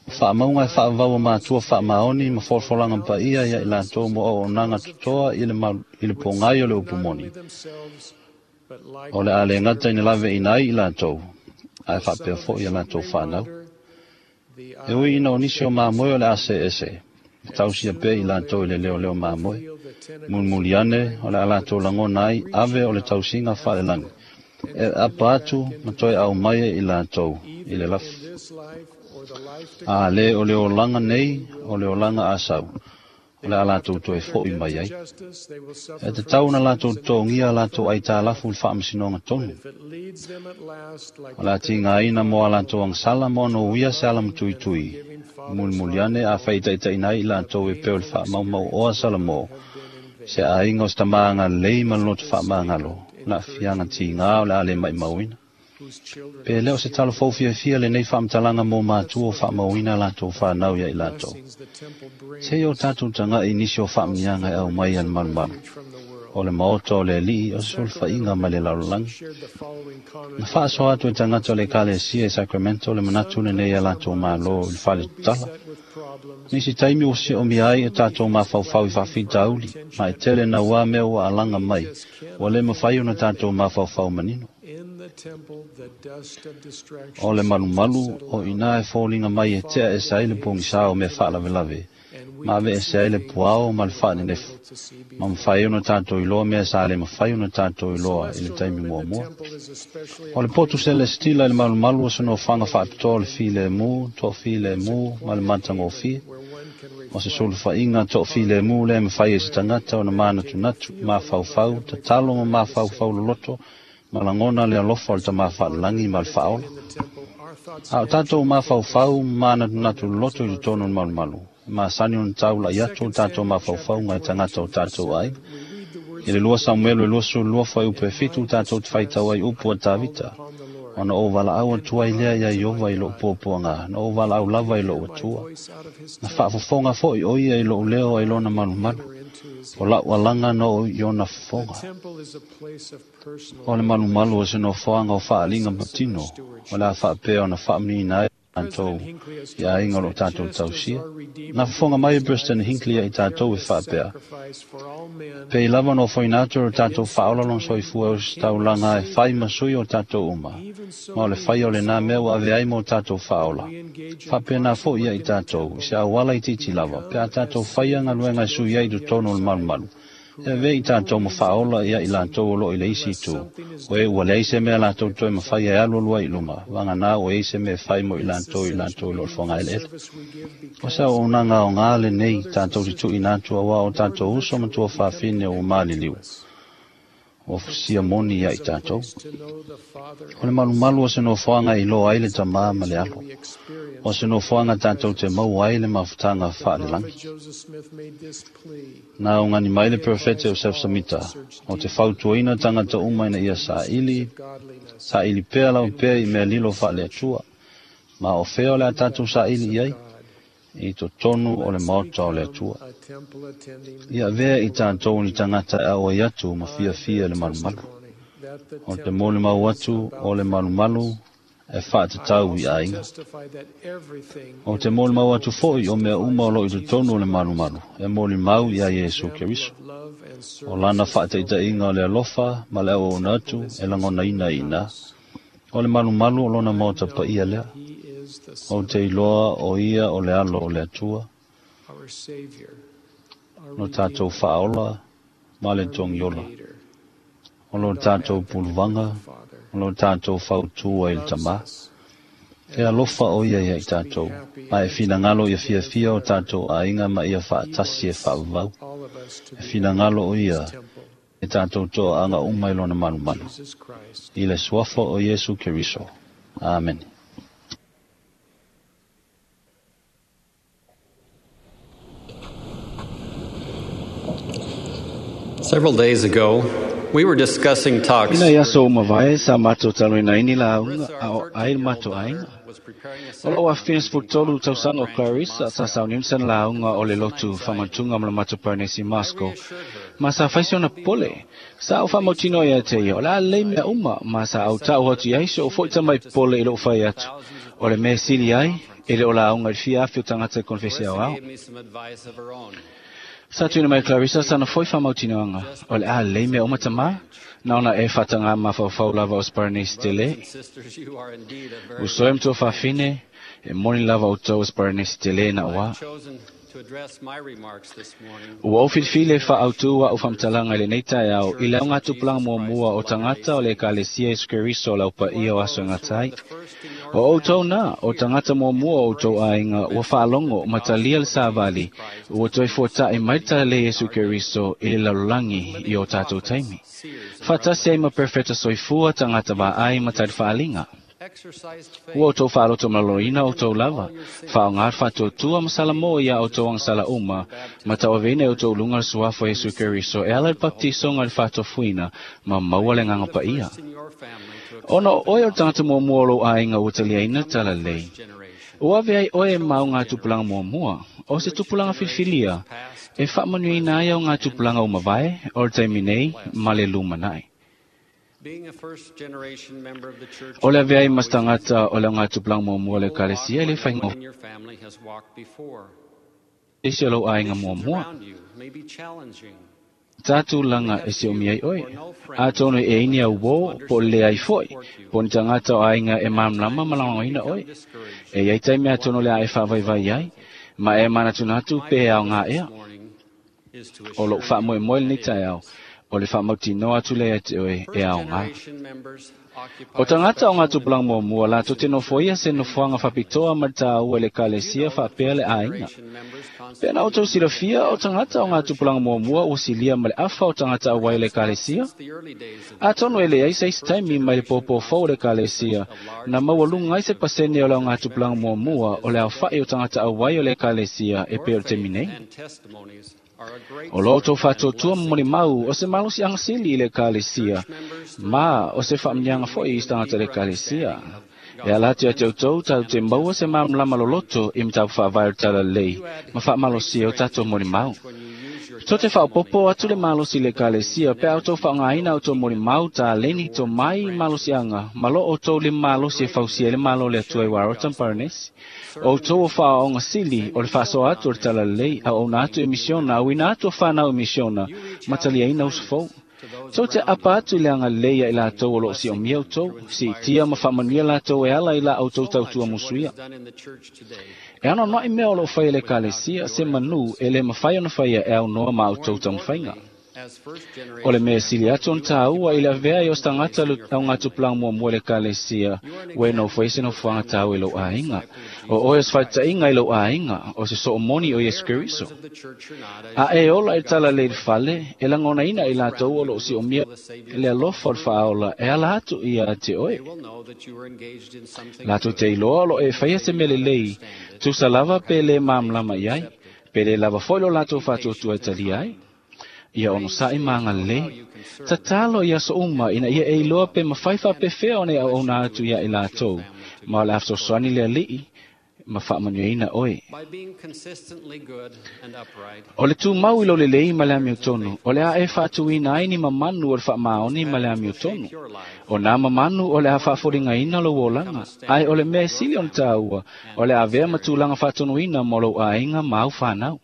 o fa'amauga e fa'avavau a matua fa'amaoni ma folafolaga paia ia i latou mo auaunaga totoa i le, malu, i le pogai o le upu moni. O le a le gata ina lave'ina ai i latou, ae fa'apea fo'i a latou fa'anau. E ui ina o nisi o mamoe o le a se'ese, e tausia pea i latou i le leoleo mamoe. Mulimuli ane o le a latou lagona ai ave o le tausiga fa'alelagi, e apa atu ma toe aumai ai i latou i le lafu. A lē o le olaga nei, o le olaga asau, o le a latou toe fo'i mai ai. E tatau ona latou totogia a latou aitalafu i le faamasinoga tonu. O le a tigaina mo a latou agasala ma ona uia se alamatuitui. Mulimuli ane a fa'itaitaʻina ai i latou e pei o le fa'amaumau'oa Salamo, se aiga o se tamā agalelei ma le loto fa'amagalo, le a'afiaga tigā o le a lē maʻimauina. Pe lē o se talofou fiafia lenei fa'amatalaga mo matua o fa'amauina latou fanau ia i latou. Seia o tatou taga'i nisi o fa'amuniaga e aumai a le malumalu. O le maota o le Ali'i o se sulufaiga mai le lalolagi. Na fa'asoa atu e tagata o le Ekalesia i Sacramento le manatu lenei a latou mālō i le fale tatala. Nisi taimi ua si'omia ai e tatou mafaufau i fa'afitauli, ma e tele nauā mea ua alaga mai, ua lē mafai ona tatou mafaufau manino. O le malumalu, o inā e foliga mai e te'a ese ai le pogisā o mea fa'alavelave, ma ave'ese ai le puao ma le fa'anenefu, ma mafai ai ona tatou iloa mea sa lē mafai ona tatou iloa i le taimi muamua. O le potu selesitila i le malumalu o se nofoaga fa'apitoa o le filemu, to'afilemu ma le matagofie. O se sulufaiga to'afilemu lea e mafai ai se tagata ona manatunatu, mafaufau, tatalo ma mafaufau loloto, ma lagona le alofa o le tamā fa'alelagi ma le fa'aola. A o tatou mafaufau ma manatunatu loloto i totonu o le malumalu, e masani ona taula'i atu o tatou mafaufauga e tagata o tatou aiga. I le lua Samuelu e luasefulu lua fuaiupu e fitu tatou te faitau ai upu a Tavita, ona ou valaau atu ai lea iā Ieova i lo'u puapuagā, na ou valaau lava i lo'u Atua. Na fa'afofoga fo'i o ia i lo'u leo ai lona malumalu, o la'u alaga na oo i ona fofoga. O le malumalu o se nofoaga o fa'aaliga patino, o le a fa'apea ona fa'amuniina ai tatou i aiga o lo'o tatou tausia. Na fofoga mai e President Hinckley ia i tatou e fa'apea, pei lava ona ofoina atu e lo tatou fa'aola lona soifua e ositaulaga e fai ma sui o tatou uma, ma o le faia o lenā mea ua ave ai mo tatou fa'aola. Fa'apena fo'i ia i tatou, i se auala itiiti lava, pe a tatou faia galuega e sui ai i totonu o le malumalu, e avea i tatou ma fa'aola ia i latou o lo'o i le isi itu, o e ua leai se mea latou toe mafai e alu ai i luma, vaganā ua iai se mea e fai mo i latou i latou i lo'o le fogaeleele. O se auaunaga aogā lenei tatou te tu'uina atu auā o tatou uso ma tuafafine ua maliliu, ua fusia moni ia i tatou. O le malumalu o se nofoaga e iloa ai le tamā ma le alo. O se nofoaga tatou te maua ai le mafutaga fa'alelagi. Na augani mai le Perofeta Iosef Samita, o te fautuaina tagata uma ina ia sa'ili, sa'ili pea lava pea i mea lilo fa'ale Atua. Ma o fea o le a tatou sa'ili i ai? I totonu o le maota o le Atua. Ia avea i tatou ni tagata e auai atu ma fiafia le malumalu. O te molimau atu o le malumalu E faatatau i aiga. O te molimau atu foʻi o mea uma o loo i totonu o le malumalu, e molimau iā Iesu Keriso. O lana faataʻitaʻiga o le alofa ma le auauna atu e lagonaina iinā. O le malumalu o lona maota paia lea. O te iloa o ia o le alo o le Atua. Lo tatou faaola ma le togiola. O lo tatou puluvaga, o lo tatou fautua i le tamā. E alofa o ia ia i tatou, ma e finagalo ia fiafia o tatou aiga ma ia faatasi e faavavau. E finagalo o ia e tatou toaaga uma i lona malumalu. I le suafa o Iesu Keriso. Amene. Several days ago, we were discussing talks. Ina ia so mavae sa matou talanoina la auga a o ai le matou aiga. O lou afina sefulutolu tausaga o Clarissa sa sauniuni la auga o le lotu faamatuga ma le matou Paranesi Moscow ma sa faisi ona pole. Sa ou faamautinoa ia te ia, o le a lelei mea uma ma sa autaʻu atu i ai so o foʻi tamai pole i lou fai atu. O le mea sili ai, e le o la auga i le fia afi o tagata i konefesi aoao. Sa tuina mai Clarissa sana foi faamautinoaga, o le a lelei mea uma tamā, na ona e faatagā mafaufau lava o Sparanesi tele. Usoe ma faafine, e moni lava outou o Sparanesi tele na oā. Ua ou filifili e faautū a'u faamatalaga i lenei taeao i le augatupulaga muamua o tagata o le Ekalesia Iesu Keriso o le aupaia o aso e gata ai. O outou na, o tagata muamua o outou aiga ua faalogo ma talia le savali, ua toe fuataʻi mai le talalei Iesu Keriso i le lalolagi i o tatou taimi. Faatasi ai ma perfeta soifua tagata vaai ma tali faaliga. Ua outou faaloto maloloina outou lava, faaoga le faatuatua ma salamo ia outou agasala uma, ma tauaveina e outou luga le suafa o Iesu Keriso e ala i le papatisoga i le faatofuina ma maua le agaga paia. Ona o oe o le tagata muamua o lou aiga ua taliaina le talalei. Ua ave ai oe e ma augatupulaga muamua, o se tupulaga filifilia, e faamanuiaina ai augatupulaga ua mavae o le taimi nei ma le lumanaʻi. O le avea ai ma se tagata o le augatupulaga muamua o le Ekalesia e le faigofie isi o lou aiga muamua. Tatulaga e siomia ai oe. Atonu e ini au uō, po o le leai foʻi, po o ni tagata o aiga e malamalama ma lagolagoina oe. E iai taimi atonu o le a e faavaivai ai, ma e manatunatu pe e aogā ea. O lou faamoemoe lenei taeao, o le faamautinoa atu lea ia te oe e aogā. O tagata o gatupulaga muamua latou te nofoia se nofoaga faapitoa ma le tāua i le Ekalesia faapea le aiga. Pe na outou silafia o tagata o gatupulaga muamua ua silia ma le afa o tagata auai o le Ekalesia? Atonu e leai se isi taimi mai le pōpō fou o le Ekalesia, na maualuga ai se pasene o le augatupulaga muamua o le aofaʻi o tagata auai o le Ekalesia e pei o le taimi nei. O lo outou faatuatua ma molimau o se malosiaga sili i le Ekalesia, ma o se faamanuiaga foʻi i se tagata o le Ekalesia. E ala atu ia te outou tatou te maua se malamalama loloto i mataupu faavae o le talalelei ma faamalosia o tatou molimau. Tou te faaopoopo atu le malosi i le Ekalesia pe a outou faaaogaina outou molimau taleni tomai malosiaga ma lo outou lima malosi e fausia ai le Malo o le Atua i Warota ma Paranesi. O outou o faaoaoga sili o le faasoa atu o le talalelei, auauna atu i misiona, auina atu o fanau i misiona, ma taliaina uso fou. Tou te apa atu i le agalelei ia i latou o loo siomia outou, siitia ma faamanuia latou e ala i la outou tautua musuia. E anoanoaʻi mea o loo faia e le Ekalesia se manu e le mafai ona faia e aunoa ma outou taumafaiga. O le mea sili atu ona tāua i le avea ai o se tagata le augatupulaga muamua i le Ekalesia, ua e nofoia se nofoaga tāua i lou aiga. O oe o se faitaʻiga i lou aiga, o se soomoni o Iesu Keriso. A e ola i le talalei i le fale, e lagonaina i latou o loo siomia le alofa o le faaola e ala atu ia te oe. Latou te iloa o loo e faia se mea lelei, tusa lava pe le malamalama i ai, pe le lava foʻi lo latou faatuatua e talia ai. Ia onosaʻi ma agalelei. Tatalo i aso uma ina ia e iloa pe mafai faapefea ona e auauna atu ia i latou, ma o le a fesoasoani le Alii ma faamanuiaina oe. O le tumau i lou lelei ma le amiotonu, o le a e faatuina ai ni mamanu o le faamaoni ma le amiotonu. O nā mamanu o le a faafoligaina lou olaga, ae o le mea e sili ona tāua, o le avea ma tulaga faatonuina mo lou aiga ma au fanau.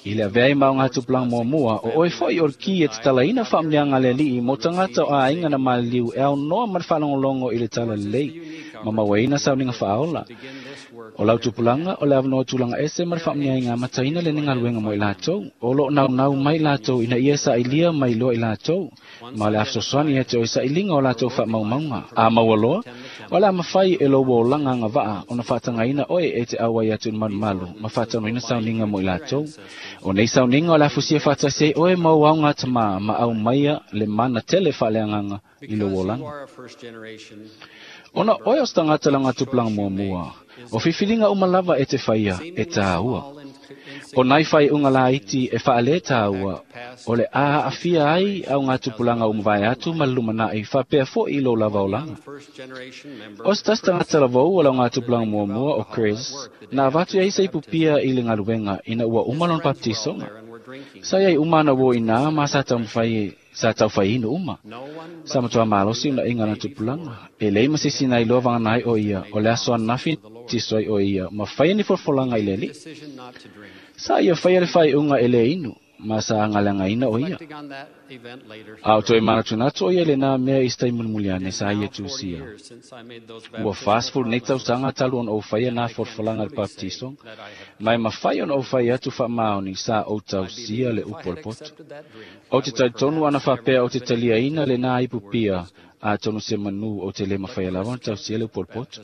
I le avea ai ma o ngā tupulaga muamua, o oe foi o le ki e tatalaina faamanuiaga a le Alii mo tagata o aiga na maliliu e aunoa ma le faalogologo i le talalelei, ma mauaina sauniga faaola. O lau tupulaga o le avanoa tulaga ese ma le faamanuiaga amataina lenei galuega mo i latou. O loo naunau mai latou ina ia sailia mai loa i latou, ma o le a fesoasoani ia te oe sailiga o latou faamaumauga. A maua loa, o le a mafai e lou olaga agavaa ona faatagaina oe e te auai atu i le malumalu ma faataunuina sauniga mo i latou. O nei sauniga o le a fusia faatasi ai oe ma ou aoga tamā ma aumaia le mana tele faaleagaga i lou olaga. Ona oe o se tagata le augatupulaga muamua, o filifiliga uma lava e te faia e tāua. O nai faaiuga laiti e faale tāua, o le a aafia ai augatupulaga uma vae atu ma le lumanai faapea foʻi i lou lava olaga. O se tasi tagata lavou o le augatupulaga muamua o Chris, na avatu ai se ipupia i le galuega ina ua uma lona baptisoga. Sa iai uma ana uō inā ma sa taumafai sa taufaiinu uma. Sa matuā malosi unaʻiga na tupulaga. E lei ma se isi na iloa vagana ai o ia, o le aso ananafi tiso ai o ia, ma faia ni folafolaga i le Alii. Sa ia faia le faaiuga e le inu, ma sa agaleagaina o ia. A o toe manatunatu o ia i lenā mea i se taimi mulimuli ane sa ia tusia. Ua fasefulu nei tausaga talu ona ou faia nā folafolaga i le baptisoga, ma e mafai ona ou fai atu faamaoni sa ou tausia le upu o le poto. Ou te talitonu ana faapea ou te taliaina lenā ipu pia, atonu se manu ou te le mafaia lava ona tausia le upu o le poto.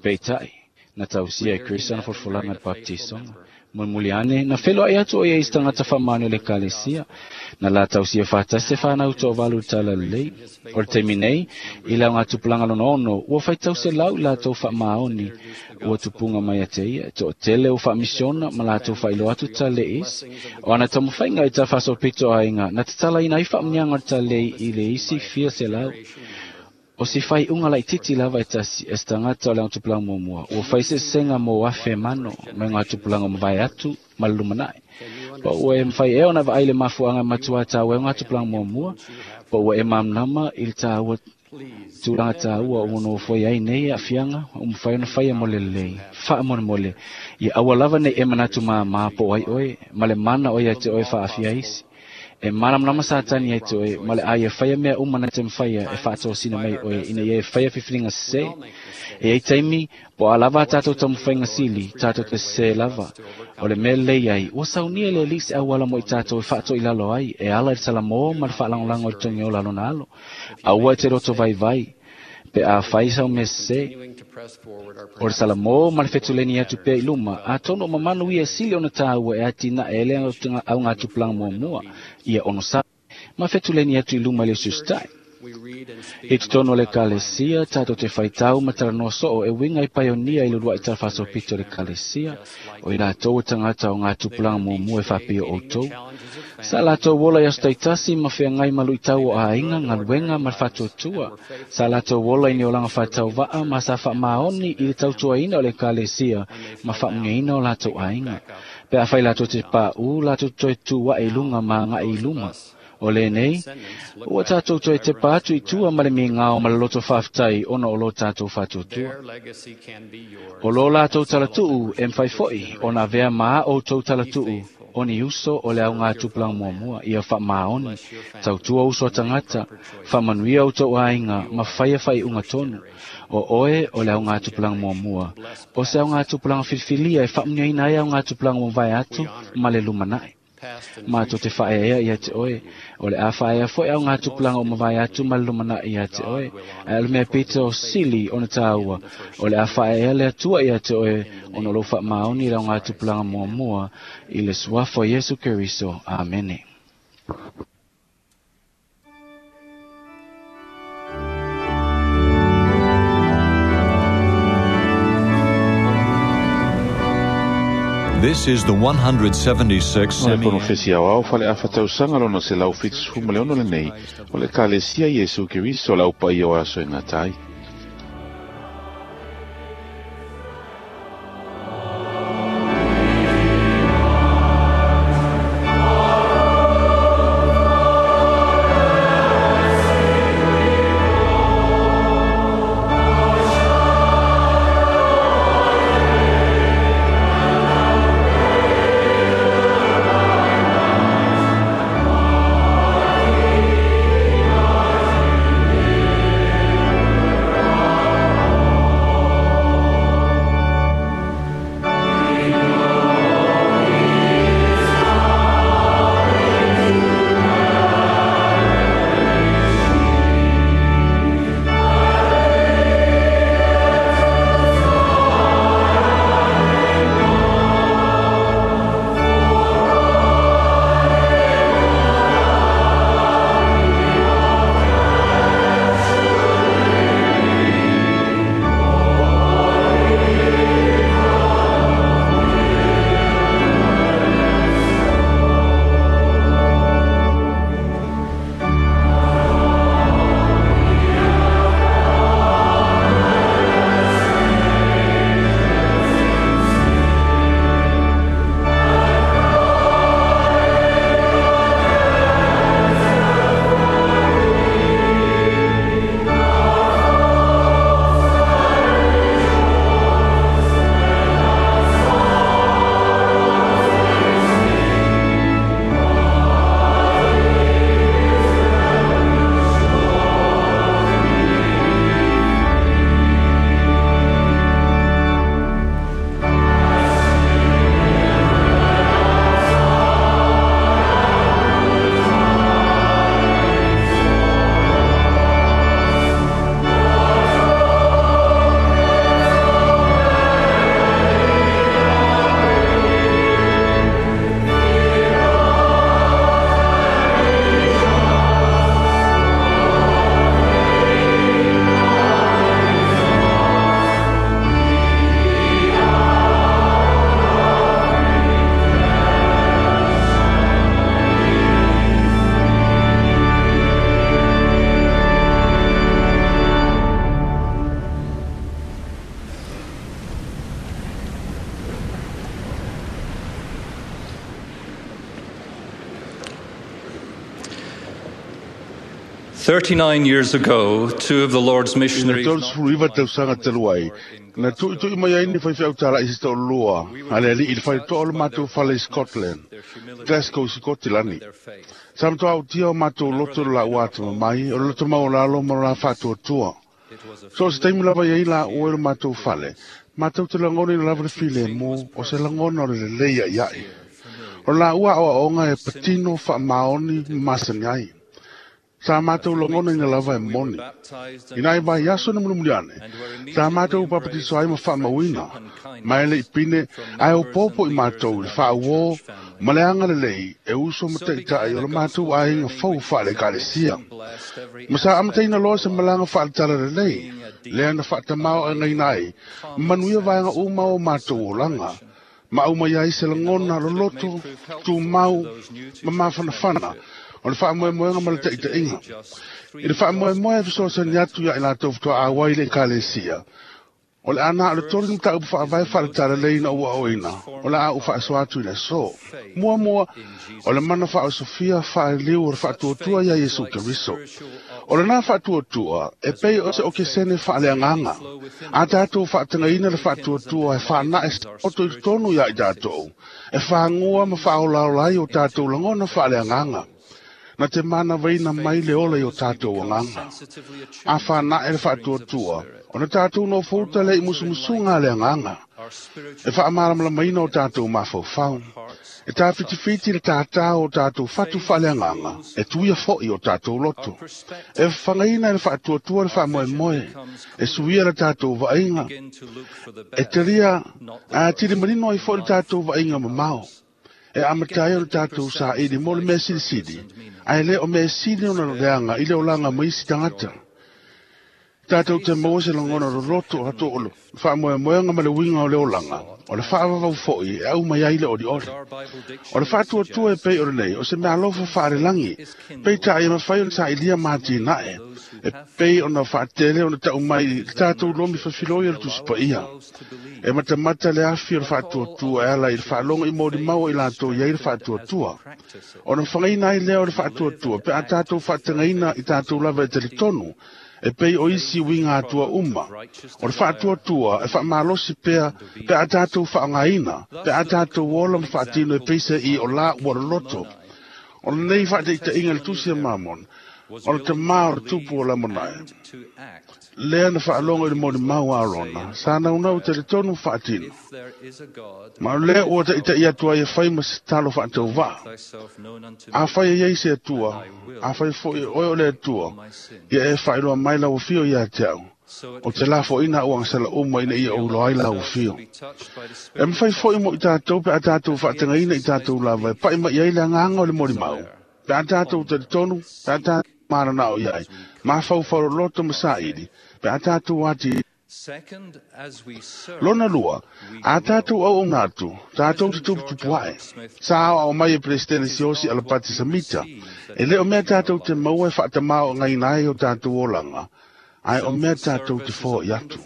Peitai, na tausia e Chris ana folafolaga i le baptisoga. Mulimuli ane, na feloai atu o ia i se tagata faamaoni o le ekalesia, na la tausia faatasi se fanau toavalu i le talalelei. O le taimi nei, i le augatupulaga lona ono, ua faitau selau i latou faamaoni ua tupuga mai ia te ia, e toatele ua faamisiona ma latou faailoa atu talalei isi. O ana taumafaiga i tafaasolopito aiga, na tatalaina ai faamanuiaga o le talalelei i le isi fia selau. O se faaiuga laitiiti lava e tasi e se tagata o le augatupulaga muamua, ua fai sesega mo afe mano mai augatupulaga o mavae atu ma le lumanai. Po ua e mafai ea ona vaai le mafuaaga e matuā tāua ai augatupulaga muamua, po ua e malamalama i le tāua tulaga tāua ua nofoi ai nei aafiaga ua mafai ona faia mo le lelei. Faamolemole, ia aua lava nei e manatu māmā po o ai oe, ma le mana o ia te oe faaafia isi. E malamalama Satani ia te oe, ma le a ia faia mea uma na te mafaia e faatosina mai oe, ina ia e faia filifiliga sesē. E iai taimi, po o a lava a tatou taumafaiga sili, tatou te sesē lava. O le mea lelei ai, ua saunia e le Alii se auala mo i tatou e faatoilalo ai, e ala i le salamō ma le faalagolago i le togiola a lona alo. Aua e te loto vaivai, pe a fai sau mea sesē. O le salamō ma le fetuleni atu pea i luma, atonu o mamanu ia e sili ona tāua e atinae e le augatupulaga muamua, ia onosai, ma fetuleni atu i luma i le usiusitai. I totonu o le ekalesia, tatou te faitau ma talanoa soo e uiga i paionia i le uluai talafaasolopito o le ekalesia, o i latou o tagata o gatupulaga muamua e faapea o outou. Sa latou ola i aso taitasi ma feagai ma luitau o aiga, galuega ma le faatuatua. Sa latou ola i ni olaga faatauvaa ma sa faamaoni i le tautuaina o le ekalesia ma faamanuiaina o latou aiga. Pe afai latou te paʻū, latou toe tu aʻe i luga ma agaʻi i luma. O lenei, ua tatou toe tepa atu i tua ma le migao ma le loto faafetai ona o lo tatou faatuatua. O lo latou talatuu e mafai foʻi ona avea ma a outou talatuu o ni uso o le augatupulaga muamua, ia faamaoni, tautua uso a tagata, faamanuia outou aiga ma faia faaiuga tonu. O oe o le augatupulaga muamua, o se augatupulaga filifilia e faamanuiaina ai augatupulaga ua mavae atu ma le lumanai. Matou te faaeaea ia te oe, o le a faaea foʻi augatupulaga o mavae atu ma le lumanai ia te oe, ae o le mea pito sili ona tāua, o le a faaeaea le Atua ia te oe ona o lou faamaoni i le augatupulaga muamua i le suafa o Iesu Keriso. Amene. This is the one hundred seventy-sixth O le konofesi aoao faleafa tausaga lona selau fitusefulu ma le ono lenei, o le ekalesia Iesu Keriso o le aupaia o aso e gata ai. Thirty-nine years ago, two of the Lord's missionaries. I le tolu tausaga talu ai, na tuitui mai ai ni faifeau tala'i se toalua, a le ali'i i le faletoa o le matou fale i Scotland, Glasgow i Sikotilani. Sa matoa autia o matou loto le laua atamamai, o le loto maualalo ma lo la faatuatua. So o se taimi lava i ai laua i le matou fale, matou te lagonaina lava le filemu, o se lagona o le lelei a'ia'i. O le laua aoaoga e patino faamaoni ma masani ai. Sa matou lagonaina lava e moni. Ina e vaiaso na mulimuli ane, sa matou papatiso ai ma faamauina, ma e le'i pine ae opopo i matou i le faauō ma le agalelei e uso ma taʻitaʻi o le matou aiga fou faale-Ekalesia. Ma sa amataina loa se malaga faaletala lelei, lea na faatamaoaigaina ai ma manuia vaega uma o matou olaga, ma aumai ai se lagona loloto, tumau ma mafanafana o le faamoemoega ma le taʻitaʻiga. I le faamoemoe e fesoasoani atu ia i latou faatoa auai i le Ekalesia, o le ana o le tolu ni mataupu faavae faaletalelei ina ua aoina, o le a ou faasoa atu i le aso. Muamua, o le mana faaosofia faaliliu o le faatuatua ia Iesu Keriso. O lena faatuatua e pei o se okesene faaleagaga. A tatou faatagaina le faatuatua e faanae oto i totonu ia i tatou, e fagua ma faaolaola ai o tatou lagona faaleagaga. Na te manavaina mai le ola i o tatou agaga. A whanae le faatuatua, o na tatou no fouta le i musumusuga a le agaga. E faamalamalamaina o tatou mafaufau. E tafitifiti le tātā o tatou fatu faaleagaga, e tuia fo'i o tatou loto. E fagaina e le faatuatua le faamoemoe, e suia le tatou vaaiga. E talia a tili manino ai fo'i le tatou vaaiga mamao. E amata ai o le tatou saili mo le mea silisili, ae le o mea sili ona leaga i le olaga ma isi tagata. Tatou te maua se lagona loloto ato o le faamoemoega ma le uiga o le olaga, o le faavavau fo'i e aumai ai le olioli. O le faatuatua e pei o lenei, o se meaalofa faalelagi, peitai e mafai ona sailia ma atinae, e pei ona faatele ona tau mai i le tatou lomi fafiloi o le Tusi Paia. E matamata le afi o le faatuatua e ala i le faalogo i molimau i latou i ai le faatuatua. Ona fagaina ai lea o le faatuatua pe a tatou faatagaina i tatou lava e talitonu, e pei o isi uiga atua uma. O le faatuatua e faamalosi pea pe a tatou faaaogaina, pe a tatou ola ma faatino e peisa i o la ua loloto. O lenei faataitaiga le Tusi a Mamon, o le tamā o le tupu o Lamonae. Lea na faalogo i le molimau a Arona, sa naunau talitonu faatino. Ma o lea ua taʻitaʻi atu ai e fai ma se talo faatauvaa. Afai e iai se Atua, afai fo'i oe o le Atua, ia e faailoa mai lau afio ia te au. O te lafoina ua agasala uma ina ia ou iloa ai lau afio. E mafai fo'i mo i tatou pe a tatou faatagaina i tatou lava e pa'i mai ai le agaga o le molimau. Pe a tatou talitonu, pe a tatou mananao i ai, mafaufau loloto ma saili, pe a tatou ati. Lona lua, a tatou auauna atu, tatou te tuputupuae. Sa aoao mai e Peresetene Siaosi Alapati Samita, e le o mea tatou te maua e faatamaoaigaina ai o tatou olaga, ae o mea tatou te foai atu.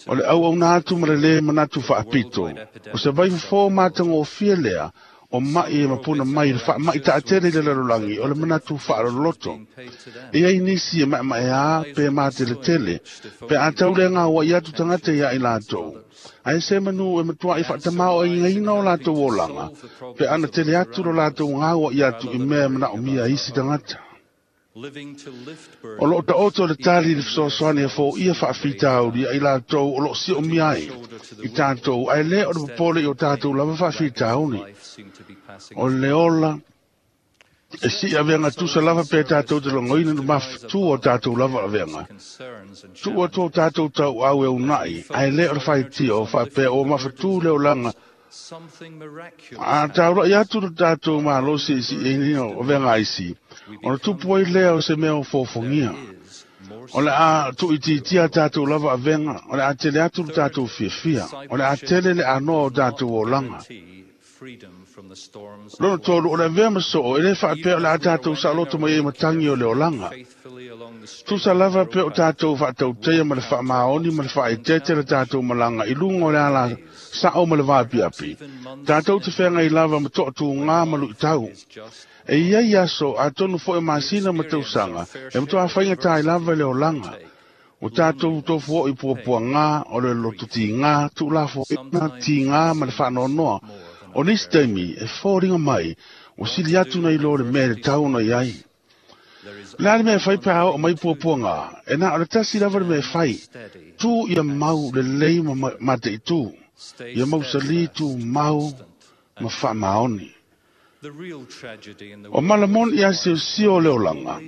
O le auauna atu ma le lē manatu faapito, o se vaifofo matagofie lea, o ma'i e mapuna mai le faama'i taatele i le lalolagi o le manatu faaloloto. E ai nisi e maemaeā pe mateletele, pe a tau le gaua'i atu tagata ia i latou. Ae se manu e matua'i faatamaoaigaina o latou olaga, pe ana tele atu lo latou gaua'i atu i mea e manaomia isi tagata. O loo taoto le tali i le fesoasoani e foia faafitauli ia i latou o loo siomia ai i tatou, ae lē o le popole i o tatou lava faafitauli. O le ola e sii aveaga tusa lava pe tatou te logoina le mafatua o tatou lava aveaga. Tuu atu o tatou tauau e una'i, ae lē o le faitio o faapea ua mafatū le olaga. A taula'i atu le tatou malosi i si'iina o aveaga aisi, ona tupu ai lea o se mea o fofogia. O le a tuuitiitia tatou lava avega, o le a tele atu le tatou fiafia, o le a tele le anoa o tatou olaga. Lona tolu, o le avea ma soo, e lē faapea o le a tatou saoloto mai ai matagi o le olaga. Tusa lava pe o tatou faatauteia ma le faamaoni ma le faaeteete le tatou malaga i luga o le ala sa'o ma le vaapiapi. Tatou te feagai lava ma toatugā ma luʻitau. E iai aso atonu fo'i masina ma tausaga e matuā faigatā ai lava le olaga. O tatou tofu o'i puapuagā o le lototigā tu'ulafo'ina tigā ma le fa'anoanoa. O nisi taimi e foliga mai ua sili atu nai lo le mea e tatau ona iai. Le a le mea e fai pe a o'o mai puapuagā, e na o le tasi lava le mea e fai, tu ia mau lelei ma mate'itū, ia mausalī tumau ma fa'amaoni. O malamoni ia siosio o le olaga,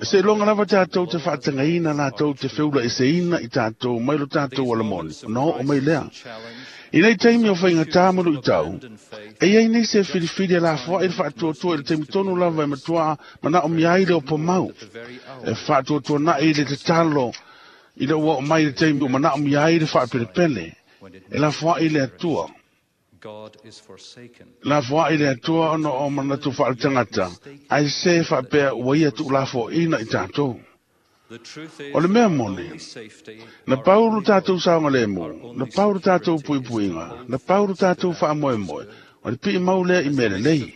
seiloga lava tatou te fa'atagaina latou te feula'eseina i tatou mai lo tatou alamoni, ona o'o mai lea. I nei taimi o faigatā ma lu'itau, e iai nei se filifili e lafoa'i le fa'atuatua i le taimi tonu lava e matuā mana'omia ai le opo mau. E fa'atuatuana'i le tatalo i le ua o'o mai le taimi ua mana'omia ai le fa'apelepele, e lafoa'i le Atua. Lafoa'i le Atua ona o manatu fa'aletagata, ae se fa'apea ua ia tu'ulafo'ina i tatou. O le mea moni, na pau lo tatou saogalemu, na pau lo tatou puipuiga, na pau lo tatou fa'amoemoe, o le pi'i mau lea i mea lelei.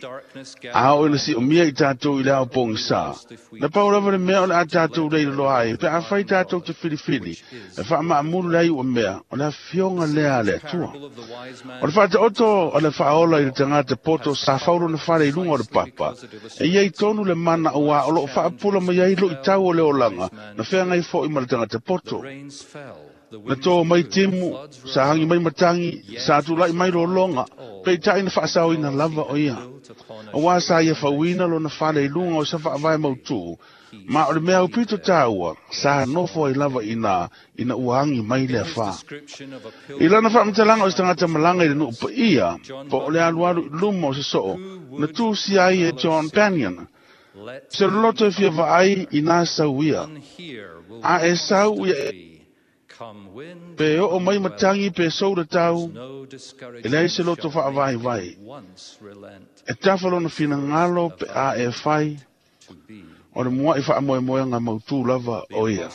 A oo ina si'omia i tatou i le ao pogisā, na pau lava le mea o le a tatou leiloloa ai, pe afai tatou te filifili, e fa'ama'amulu le ai ua mea, o le afioga lea a le Atua. O le fa'ata'oto o le fa'aola i le tagata poto sa fau lona fale i luga o le papa, e iai tonu le mana auā o lo'o fa'apula mai ai lu'itau o le olaga, na feagai fo'i ma le tagata poto. Na tō mai timu, sa hangi mai matangi, sa tula'i mai lologa, peita'i na fa'asaoina lava o ia. Auā sa ia fauina lona fale i luga o sa fa'avae mautū, ma o le mea aupito tāua, sa nofo ai lava inā, ina ua agi mai le afā. I lana fa'amatalaga o se tagata malaga i le nu'u pa'ia, po o le alualu i luma o se so'o, na tusia ai e John Bunyan, se loloto e fia va'ai inā sau ia. A e sau ia pe o'o mai matangi pe sou le tau, e leai se loto fa'avaivai. E tafa lona finagalo pe a e fai, o le mua'i fa'amoemoega mautū lava o ia.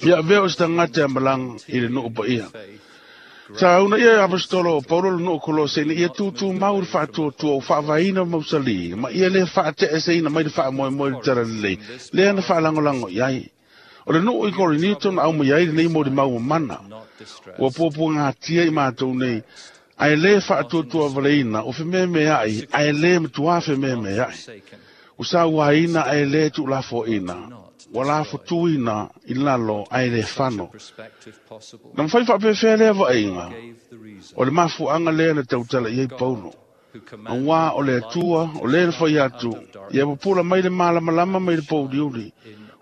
Ia avea o se tagata e malaga i le nu'u pa'ia. Sa una ia e apostolo o Paulo le nu'u Kolose ina ia tūtū mau le fa'atuatua o fa'avaina mausalī, ma ia lē fa'ate'eseina mai le fa'amoemoe i le tala lelei, lea na fa'alagolago i ai. O le nu'u i Korinito na aumai ai lenei mo le mau mana. Ua puapuagatia i matou nei, ae lē fa'atuatua valeina o fememea'i, ae lē matuā fememea'i. Ua sauāina ae lē tu'ulafo'ina, ua lafotuina i lalo ae lē fano. Na mafai fa'apefea lea va'aiga, o le mafu'aga lea na tautala i ai Paulo. Auā o le Atua, o lē na fai atu, ia pupula mai le malamalama mai le pouliuli,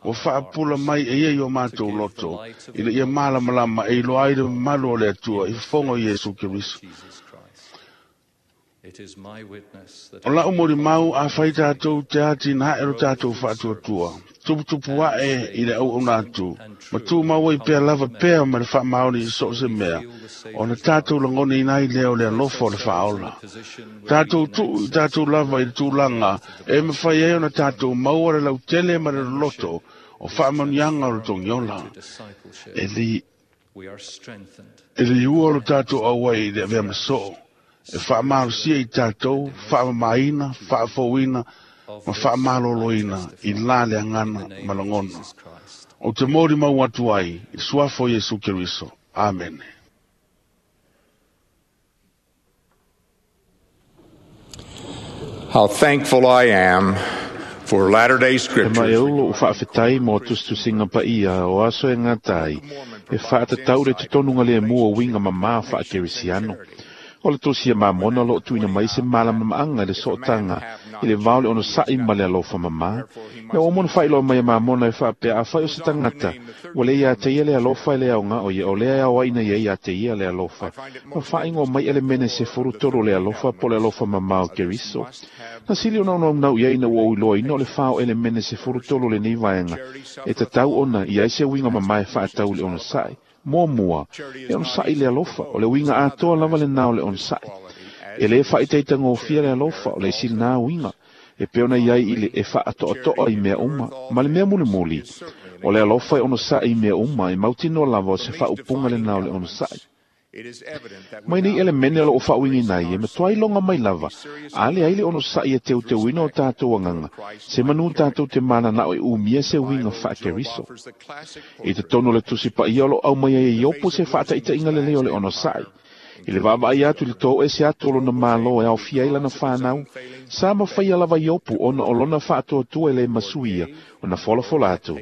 ua fa'apula mai e ia i o matou loto, ina ia malamalama e iloa ai le mamalu o le Atua i fofoga o Iesu Keriso. O la'u molimau afai tatou te atina'e lo tatou fa'atuatua, tuputupu a'e i le auauna atu, ma tumau ai pea lava pea ma le fa'amaoni i so o se mea, ona tatou lagonaina ai lea o le alofa o le fa'aola. Tatou tu'u i tatou lava i le tulaga e mafai ai ona tatou maua le lautele ma le loloto o fa'amanuiaga o le togiola. E le e le iua o lo tatou auai i le avea ma so'o, e fa'amalosia i tatou, fa'amamaina, fa'afouina, ma fa'amaloloina i la le agana ma lagona. O te molimau atu ai i le suafa o Iesu Keriso. Amene. How thankful I am for Latter-day E Scriptures. mai au lo'u fa'afetai mo tusitusiga pa'ia o aso e gata ai, e fa'atatau le totonuga lemu o uiga mamā fa'akerisiano. O le tosia mamona o lo'o tu'uina mai se malamama'aga i le so'otaga i le vao le onosa'i ma le alofa mamā. Ia ua uma ona fa'ailoa mai e mamona e fa'apea afai o se tagata, ua lē iā te ia le alofa e le aoga'o ia, o lea e aoaʻina ia iā te ia le alofa. Ma fa'aigoa mai e le mene sefulu tolu o le alofa po le alofa mamā o Keriso. Na sili ona onaunau i ai ina ua ou iloaina o le fā o elemene sefulu tolu o lenei vaega, e tatau ona i ai se uiga mamā e fa'atau i le onosa'i. Muamua, e onosa'i le alofa, o le uiga atoa lava lenā o le onosa'i. E lē fa'itaitagofia le alofa, o le isi lenā uiga, e pei ona iai i le e fa'ato'ato'a i mea uma, ma le mea mulimuli. O le alofa e onosa'i i mea uma, e mautinoa lava o se fa'aupuga lenā o le onosa'i. Mai nei elemene o loo faauigaina ai e matuai loga mai lava, a leai le onosaʻi e teuteuina o tatou agaga, se manū tatou te mananao e umia se uiga faaKeriso. I totonu o le tusi paia o loo aumai ai e Iopo se faataʻitaʻiga lelei o le onosaʻi. I le vaavaai atu i le toese atu o lona mālō e aofia ai lana fanau, sa mafaia lava Iopu ona o lona faatuatua e lē masuia ona folafola atu.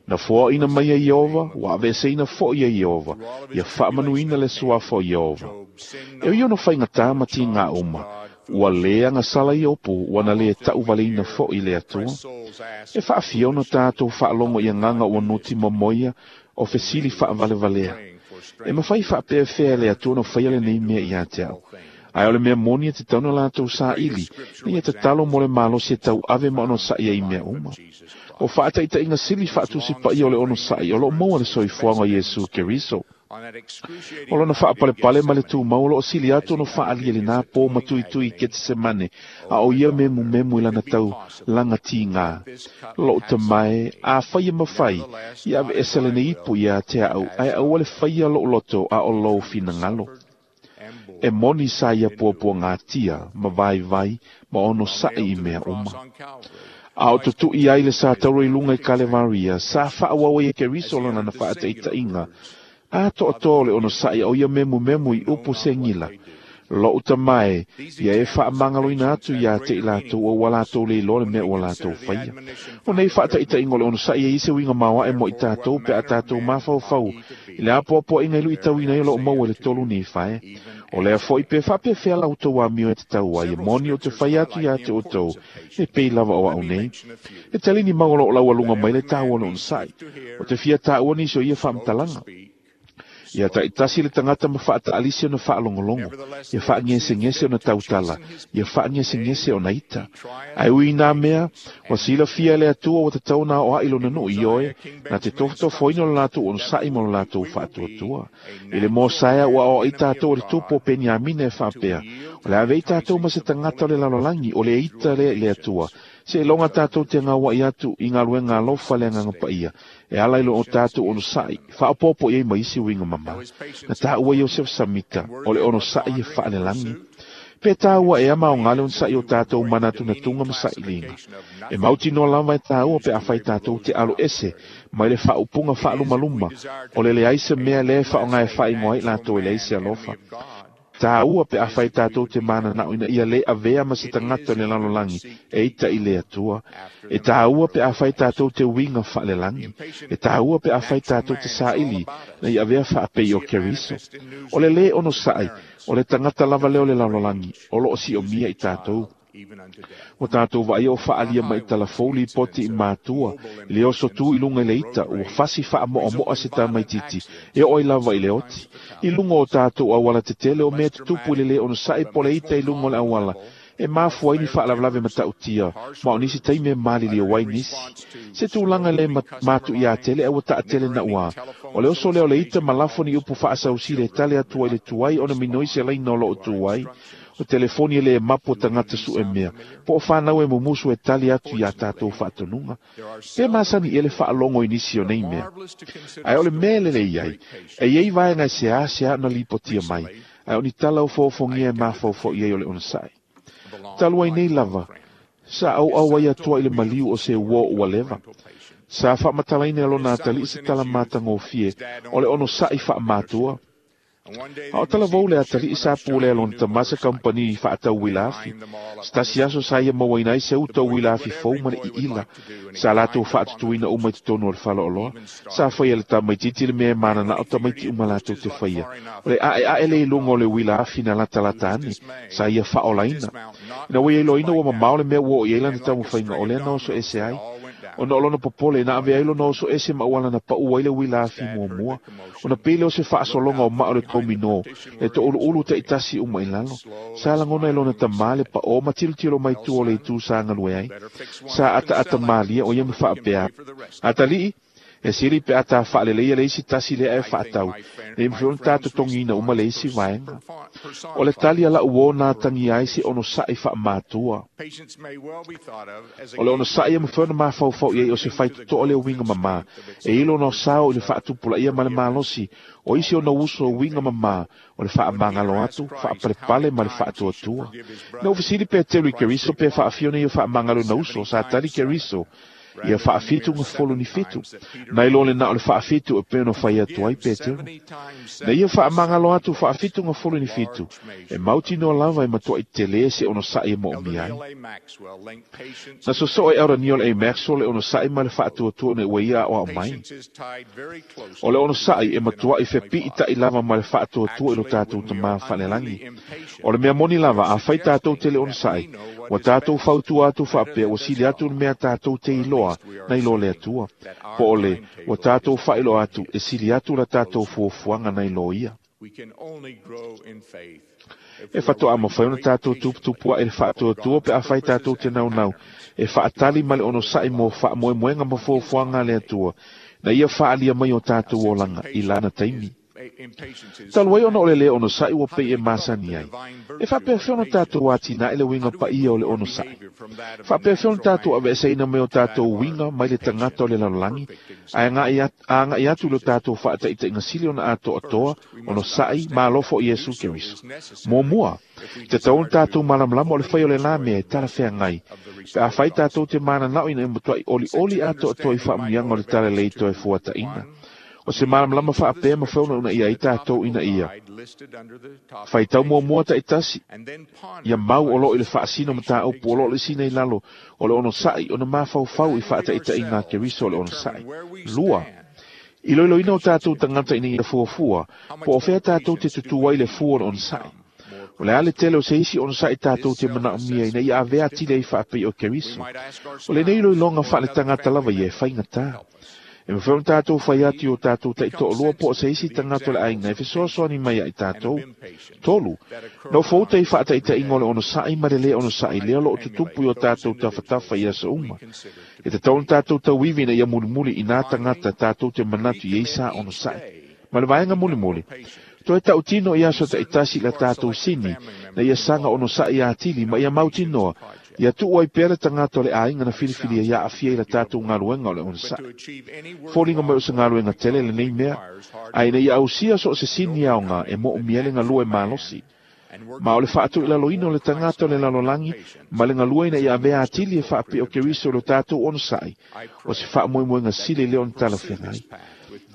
Na foaʻina mai e Ieova, ua aveeseina foʻi e Ieova, ia faamanuina le suafa o Ieova. E ui ona faigatā ma tigā uma, ua lē agasala Iopu ua na lē taʻuvaleina foʻi le Atua. E faafia ona tatou faalogo i agaga ua nuti momoia o fesili faavalevalea. E mafai faapeafea e le Atua ona faia lenei mea iā te a'u. Ae o le mea moni e tatau ona latou saili, ina ia tatalo mo le malosi e tauave ma onosaʻi ai i mea uma. O faataʻitaʻiga sili faatusi paia o le onosaʻi o loo maua le soifuaga o Iesu Keriso. O lona faapalepale ma le tumau o loo sili atu ona faaalia i lenā pō matuitui i Ketesemane, a o ia memumemu i lana tau laga tigā. Loʻu tamae, afai e mafai, ia aveese lenei ipu iā te aʻu, ae aua le faia loʻu loto a o lou finagalo. E moni sa ia puapuagatia ma vaivai ma onosaʻi i mea uma. A o tutuʻi ai le sa tauro i luga i Kalevaria, sa faaauau ai e Keriso lana na faataʻitaʻiga atoatoa o le onosaʻi a o ia memumemu i upu segila. Loʻu tamae, ia e faamagaloina atu iā te i latou a ua latou le iloa le mea ua latou faia. O nei faataʻitaʻiga o le onosaʻi e i se uiga maoaʻe mo i tatou pe a tatou mafaufau i le apoapoaʻiga i luʻitauina ai o loo maua i le tolu Nifae. O lea foʻi pe faapefea la outou amio e tatau ai, e moni ou te fai atu iā te outou, e pei lava o aʻu nei. E talini mau o loo laualuga mai le taua o le onosaʻi. O te fia taua nisi o ia faamatalaga. Ia taʻitasi le tagata ma faataʻalisi ona faalogologo, ia faagesegese ona tautala, ia faagesegese ona ita. Ae ui i nā mea, ua silafia e le Atua ua tatau ona aoaʻi lona nuu ioe, na te tofotofoina o le latou onosaʻi ma lo latou faatuatua. I le Mosaea ua aoaʻi tatou e le tupu o Peniamina e faapea, o le a avea i tatou ma se tagata o le lalolagi, o le ita lea i le Atua, seiloga tatou te gauaʻi atu i galuega alofa le Agaga Paia, e ala i loo tatou onosaʻi, faaopoopo i ai ma isi uiga mamā. Na taua Iosef Samita, o le onosaʻi e faalelagi. Pe taua ea maoga le onosaʻi o tatou manatunatuga ma saʻiliga. E mautinoa lava e taua pe afai tatou te alo ese mai le faaupuga faalumaluma, o le leai se mea lea e faaaoga e faaigoa ai latou e leai se alofa. Taua pe afai tatou te mananao ina ia lē avea ma se tagata o le lalolagi e ita i le Atua. E taua pe afai tatou te uiga faalelagi. E taua pe afai tatou te saili na ia avea faapei o Keriso. O le lē onosaʻi, o le tagata lava lea o le lalolagi, o loo siomia i tatou. Ua tatou vaaia o faaalia mai talafou lipoti i matua, i le oso tu i luga i le ita, ua fasi faamoʻamoʻa se tamaititi, e oo ai lava i le oti. I luga o tatou auala tetele o mea tutupu i le lē onosaʻi po o le ita i luga o le auala, e mafua ai ni faalavelave mataʻutia, ma o nisi taimi e maliliu ai nisi. Se tulaga lē matuiā tele ae ua taʻatele naʻuā. O le oso lea o le ita ma lafo ni upu faasausili e tali atu ai le tuai ona minoi se laina o loo tu ai. O telefoni e lē mapu o tagata suʻe mea, po o fanau e mumusu e tali atu iā tatou faatonuga. Pe masani ea le faalogo i nisi o nei mea. Ae o le mea e lelei ai, e iai vaega e seāseā ona lipotia mai, ae o ni tala ofoofogia e mafaufauʻi ai o le onosaʻi. Talu ai nei lava, sa auau ai Atua i le maliu o se uō ua leva. Sa faamatalaina e lona atalii se tala matagofie o le onosaʻi faamatua. A o talavou le atalii sa pulea lona tamā se kampani i faatau uila afi. Se tasi aso sa ia mauaina ai se uta uila afi fou ma le iila. Sa latou faatutuina uma i totonu o le faleoloa. Sa faia e le tamaititi le mea e mananao tamaiti uma latou te faia. O le ʻaeʻae lea i luga o le uila afi na latalata ane, sa ia faaolaina. Ina ua ia iloaina ua mamao le mea ua oo i ai lana taumafaiga, o lea na oso ese ai. Ona o lona popole, na avea ai lona oso ese ma auala na paʻu ai le uila afi muamua. Ona pei lea o se faasologa o maa o le tauminō, le toʻuluʻulu taʻitasi uma i lalo. Sa lagona e lona tamā le paʻō ma tilotilo mai tua o le itu sa galue ai. Sa ataata malie o ia ma faapea. Atalii, E sili pe ata faaleleia le isi tasi lea e faatau, nei mafai ona ta totogiina uma le isi vaega. O le tali a la'u uō na atagia ai se onosa'i fa'amatua. O le onosa'i e mafai ona mafaufau i ai o se faitoto'a le uiga mamā, e ilo ona sao i le fa'atupulaia ma le malosi, o isi ona uso uiga mamā, o le fa'amagalo atu, fa'apalepale ma le fa'atuatua. Na ou fesili Petelo i Keriso pe fa'afia ona ia fa'amagalo na uso, sa tali Keriso, ia fa'afitu gafolo ni fitu. Nai lo le na o le fa'afitu e pei ona fai atu ai Petelo. Na ia fa'amagalo atu fa'afitu gafolo ni fitu, e mautinoa lava e matua'i telē se onosa'i e mo'omia ai. Na soso'o e Aurania o le A. Maxwell le onosa'i ma le fa'atuatua ona ua ia a'oa'o mai. O le onosa'i e matua'i fepi'ita'i lava ma le fa'atuatua i lo tatou tamā fa'alelagi. O le mea moni lava, afai tatou te le onosa'i, ua tatou fautua atu fa'apea ua sili atu le mea tatou te iloa nai lo le Atua. Po o le, ua tatou fa'ailoa atu e sili atu la tatou fuafuaga nai lo ia. E fato'a mafai ona tatou tuputupua'i le fa'atuatua pe afai tatou te naunau e fa'atali ma le onosa'i mo fa'amoemoega ma fuafuaga a le Atua, na ia fa'alia mai o tatou olaga i lana taimi. Talu ai ona o le lē onosa'i ua pei e masani ai. E fa'apeafea ona tatou atina'i le uiga paia o le onosa'i. Fa'apeafea ona tatou ave'eseina mai o tatou uiga mai le tagata o le lalolagi, ae aga'i atu i lo tatou fa'ata'ita'iga sili ona ato'atoa onosa'i ma alofo i Iesu Keriso. Muamua, te tatau ona tatou malamalama o le fai o le lā mea e talafeagai, pe afai tatou te manana'o ina ia matua'i olioli ato'atoa i fa'amuiaga o le talalelei toe fuata'ina. O se malamalama fa'apea mafai ona unaia ai tatou ina ia. Faitau muamua ta'itasi, ia mau o lo'o i le fa'asino mataupu o lo'o le sina i lalo o le onosa'i ona mafaufau i fa'ata'ita'iga a Keriso o le onosa'i. Lua, iloiloina o tatou tagata ina ia fuafua, po o fea tatou te tutū ai le fua o le onosa'i. O le a le tele o se isi onosa'i tatou te mana'omia ina ia avea atili ai fa'apei o Keriso. O lenei iloiloga fa'aletagata lava ia e faigatā. E mafai ona tatou fai atu i o tatou ta'ito'olua po o se isi tagata o le aiga e fesoasoani mai ai tatou. Tolu, na o fouta i fa'ata'ita'iga o le onosa'i ma le lē onosa'i lea o lo'o tutupu i o tatou tafatafa i aso uma. E tatau ona tatou tauivi ina ia mulimuli i nā tagata tatou te manatu i ai sa onosa'i. Ma le vaega mulimuli, toe ta'utino i aso ta'itasi i la tatou sini, na ia saga onosa'i atili ma ia mautinoa, ia tu'u ai pea le tagata o le aiga na filifilia ia a'afia i la tatou galuega o le onosa'i. Foliga mai o se galuega tele lenei mea, ae ina ia ausia so o se sini aoga e mo'omia le galue malosi. Ma o le fa'atu'ilaloina o le tagata o le lalolagi ma le galue ina ia avea atili e fa'apea o Keriso i lo tatou onosa'i, o se fa'amoemoega sili lea ona talafeagai.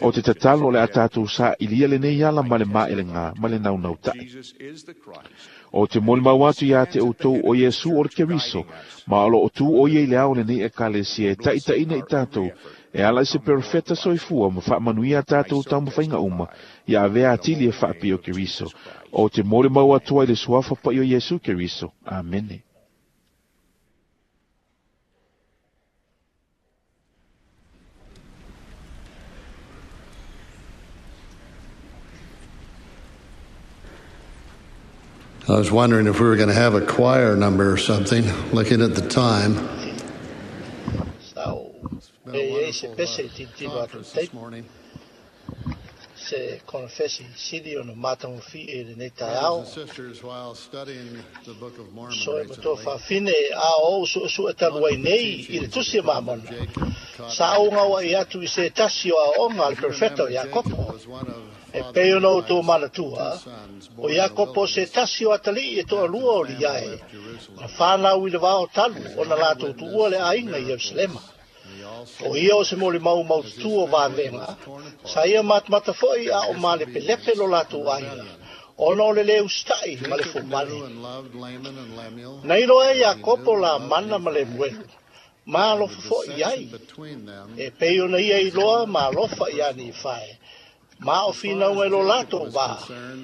O te tatalo o le a tatou sa'ilia lenei ala ma le ma'elegā ma le naunauta'i. O te molimau atu iā te outou o Iesu o le Keriso, ma o lo'o tū o ia i le ao lenei ekalesia e ta'ita'ina i tatou, e ala i se perofeta soifua ma fa'amanuia a tatou taumafaiga uma, ia avea atili e fa'apea o Keriso. O te molimau atu ai le suafa pa'i o Iesu Keriso. Amene. I was wondering if we were going to have a choir number or something, looking at the time. E se pese titilo atu This morning. Se konfesi sili ona matagofie i lenei taeao. Brothers and sisters, while studying the Book of Mormon So e matua recently, fa'afine a o usu'usu'e talu ai nei i le tusi e Mamona. Sa ougaoa'i atu i se tasi o ao'oga a le perfeta o Iakopo. was one of E pei ona outou manatua, o Iakopo se tasi o atali'i e to'alua o liae, na fānau i le vao talu ona latou tu'ua le aiga i Ierusalema. O ia o se molimau maututū o vavega, sa ia matamata fo'i a o malepelepe lo latou aiga, ona o le lē usita'i ma le fomale. knew and loved Laman and Lemuel. Na iloa e Iakopo la mana ma Lemuelu, ma alofa fo'i ai. Between them, E pei ona ia iloa ma alofa ia Nifae, ma o finauga i lo latou vā,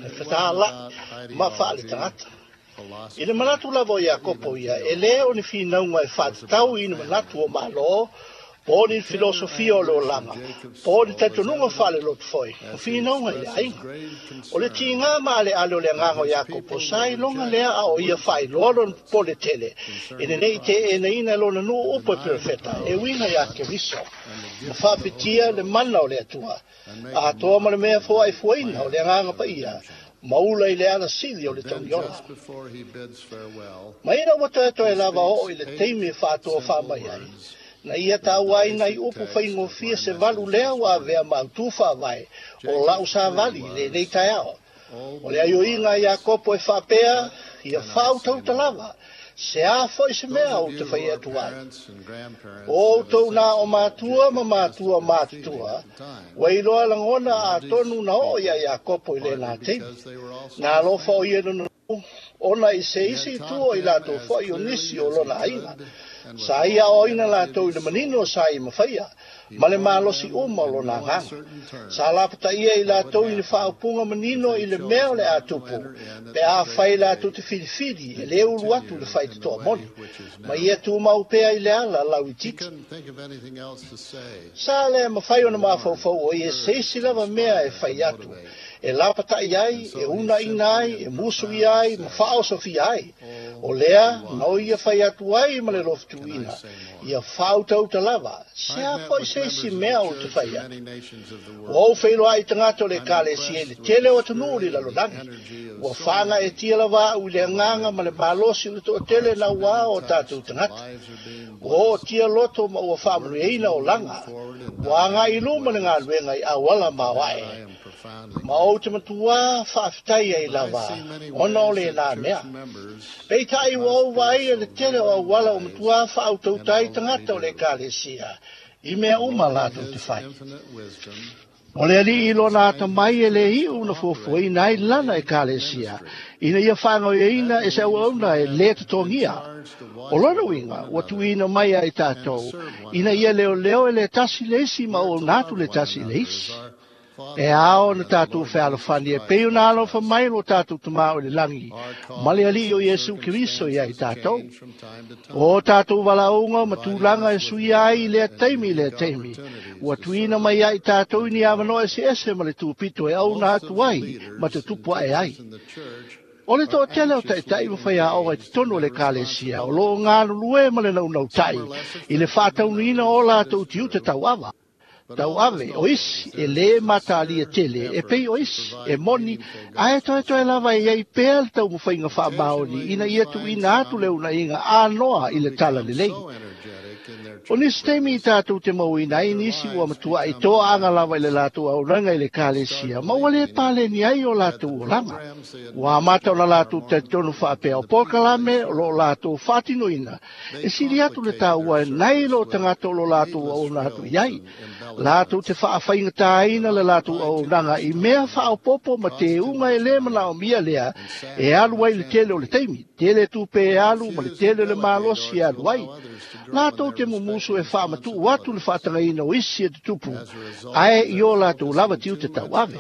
e fetāla'i ma fa'aletagata. I le manatu lava o Iakopo ia, e lē o ni finauga e fa'atatau i ni manatu o Mālō, Po o ni filosofia o le olaga, po o ni talitonuga faalelotu foi, o finauga i le aiga. O le tiga ma aleale o le agaga o Iakopo sa iloga lea a o ia faailoa lona popole tele, ina nei teꞌenaina e lona nuu upu e perofeta e uiga iā Keriso, ma faapitia le mana o le Atua, atoa ma le mea foaʻifuaina o le agaga paia, ma ula i le alasili o le tauiola. Ma ina ua toetoe lava oo i le taimi e faatoa faamai ai, na ia tauai nai upu faigofie se valu lea ua avea mautū faavae o lau savali i lenei taeao. O le aioiga Iakopo e faapea, ia faautauta lava, se a foi se mea ou te fai atu ai. O outou na o matua ma matua matutua, ua iloa lagona atonu na oo ia Iakopo i lena taimi. Na alofa o ia lona ona i se isi itu o i latou foi o nisi o lona aiga. Sa ia oina latou i le manino sa i mafaia, ma le malosi uma o lona agaga. Sa lapataia i latou i le faaupuga manino i le mea o le a tupu, pe a fai latou te filifili e le ulu atu le faitotoa moni, ma ia tumau pea i le ala lauititi. Sa le mafai ona mafaufau o ia se isi lava mea e fai atu, e lapatai ai, e unaina ai, e musuia ai, ma faaosofia ai. O lea, na o ia fai atu ai ma le lofutuina, ia faautauta lava, se a foi se isi mea o te fai atu. Ua ou feiloai i tagata o le ekalesia i le tele o atunuu i le lalolagi. Ua faagaetia lava au i le agaga ma le malosi o le toatele nauā o tatou tagata. Ua ootia loto ma ua faamanuiaina olaga. Ua agai i luma le galuega i auala maoae. Ma ou te matuā faafetai ai lava, ona o lenā mea. Peitai ua ou vaaia le tele o auala o matuā faautauta ai tagata o le ekalesia, i mea uma latou te fai. O le alii i lona atamai e le iu na fuafuaina ai lana ekalesia, ina ia faagaoioiina e se auauna e lē totogia. O lona uiga, ua tuuina mai ai tatou, ina ia leoleo e le tasi le isi ma auauna atu le tasi i le isi. E ao na tatou fealofani e pei ona alofa mai lo tatou Tamā o i le lagi, ma le Alii o Iesu Keriso ia i tatou. O tatou valaauga ma tulaga e suia ai i lea taimi i lea taimi, ua tuuina mai ai tatou i ni avanoa eseese ma le tupito e auna atu ai ma te tupu ae ai. O le toatele o ta'ita'i ma faiaoga i totonu o le ekalesia, o loo galulue ma le naunautai i le faataunuina o latou tiute tauava. Tauave o isi e lē matalia tele e pei o isi e moni, ae toetoe lava e iai pea le taumafaiga faamaoni ina ia tuuina atu le unaiga anoa i le tala lelei. O nisi taimi i tatou te mauina ai nisi ua matuaʻi toaaga lava i le latou auaunaga i le ekalesia, ma ua lē paleni ai o latou olaga. Ua amata ona latou talitonu faapea o polokalame o loo latou faatinoina, e sili atu le taua e nai lo tagata o lo latou auauna atu i ai. Latou te faafaigatāina le latou auaunaga i mea faaopopo ma teuga e lē manaomia lea e alu ai le tele o le taimi, tele tupe e alu ma le tele o le malosi e alu ai. Latou te mumusu e faamatuu atu le faatagaina o isi e tutupu, ae i o latou lava tiute tauave.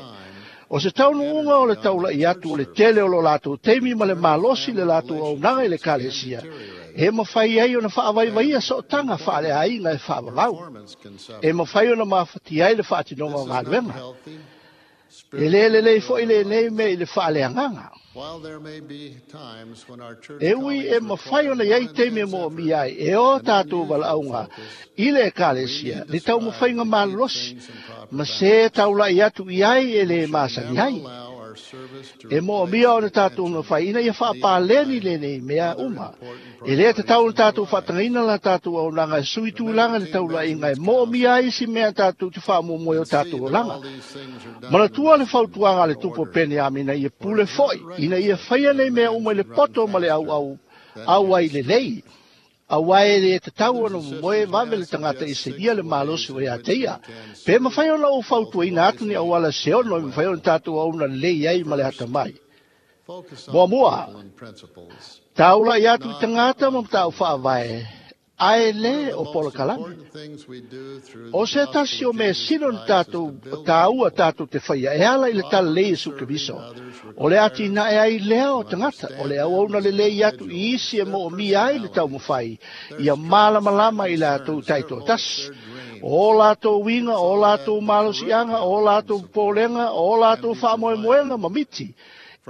O se taunuuga o le taulaʻi atu o le tele o lo latou taimi ma le malosi le latou auaunaga i le ekalesia, e mafai ai ona faavaivaia sootaga faaleaiga e faavavau. E mafai ona mafatia ai le faatinoga o galuega. E lē lelei foʻi lenei mea i le faaleagaga. E ui e mafai ona iai taimi e moomia ai e o tatou valaauga i le ekalesia, le taumafaiga malolosi, ma se taulaʻi atu i ai e lē masani ai. E moomia ona tatou mafai ina ia faapaleni lenei mea uma. E lē tatau ona tatou faatagaina la tatou auaunaga e sui tulaga le taulaʻiga e moomia ai isi mea tatou te faamoemoe o tatou olaga. Manatua le fautuaga a le tupu o Peniamina ia pule foʻi, ina ia faia nei mea uma i le poto ma le auau au ai lelei. Auā e lē tatau ona momoe vave le tagata i selia le malosi o iā te ia. Pe mafai ona ou fautuaina atu ni auala se ono e mafai ona tatou auauna lelei ai ma le atamai. Muamua, taulaʻi atu i tagata ma mataupu faavae, ae lē o polokalame. O se tasi o mea sili ona tatou taua tatou te faia e ala i le talalelei Iesu Keriso, o le atinae ai lea o tagata, o le auauna lelei atu i isi e moomia ai le taumafai, ia malamalama i latou taitoatasi. O latou uiga, o latou malosiaga, o latou popolega, o latou faamoemoega ma miti,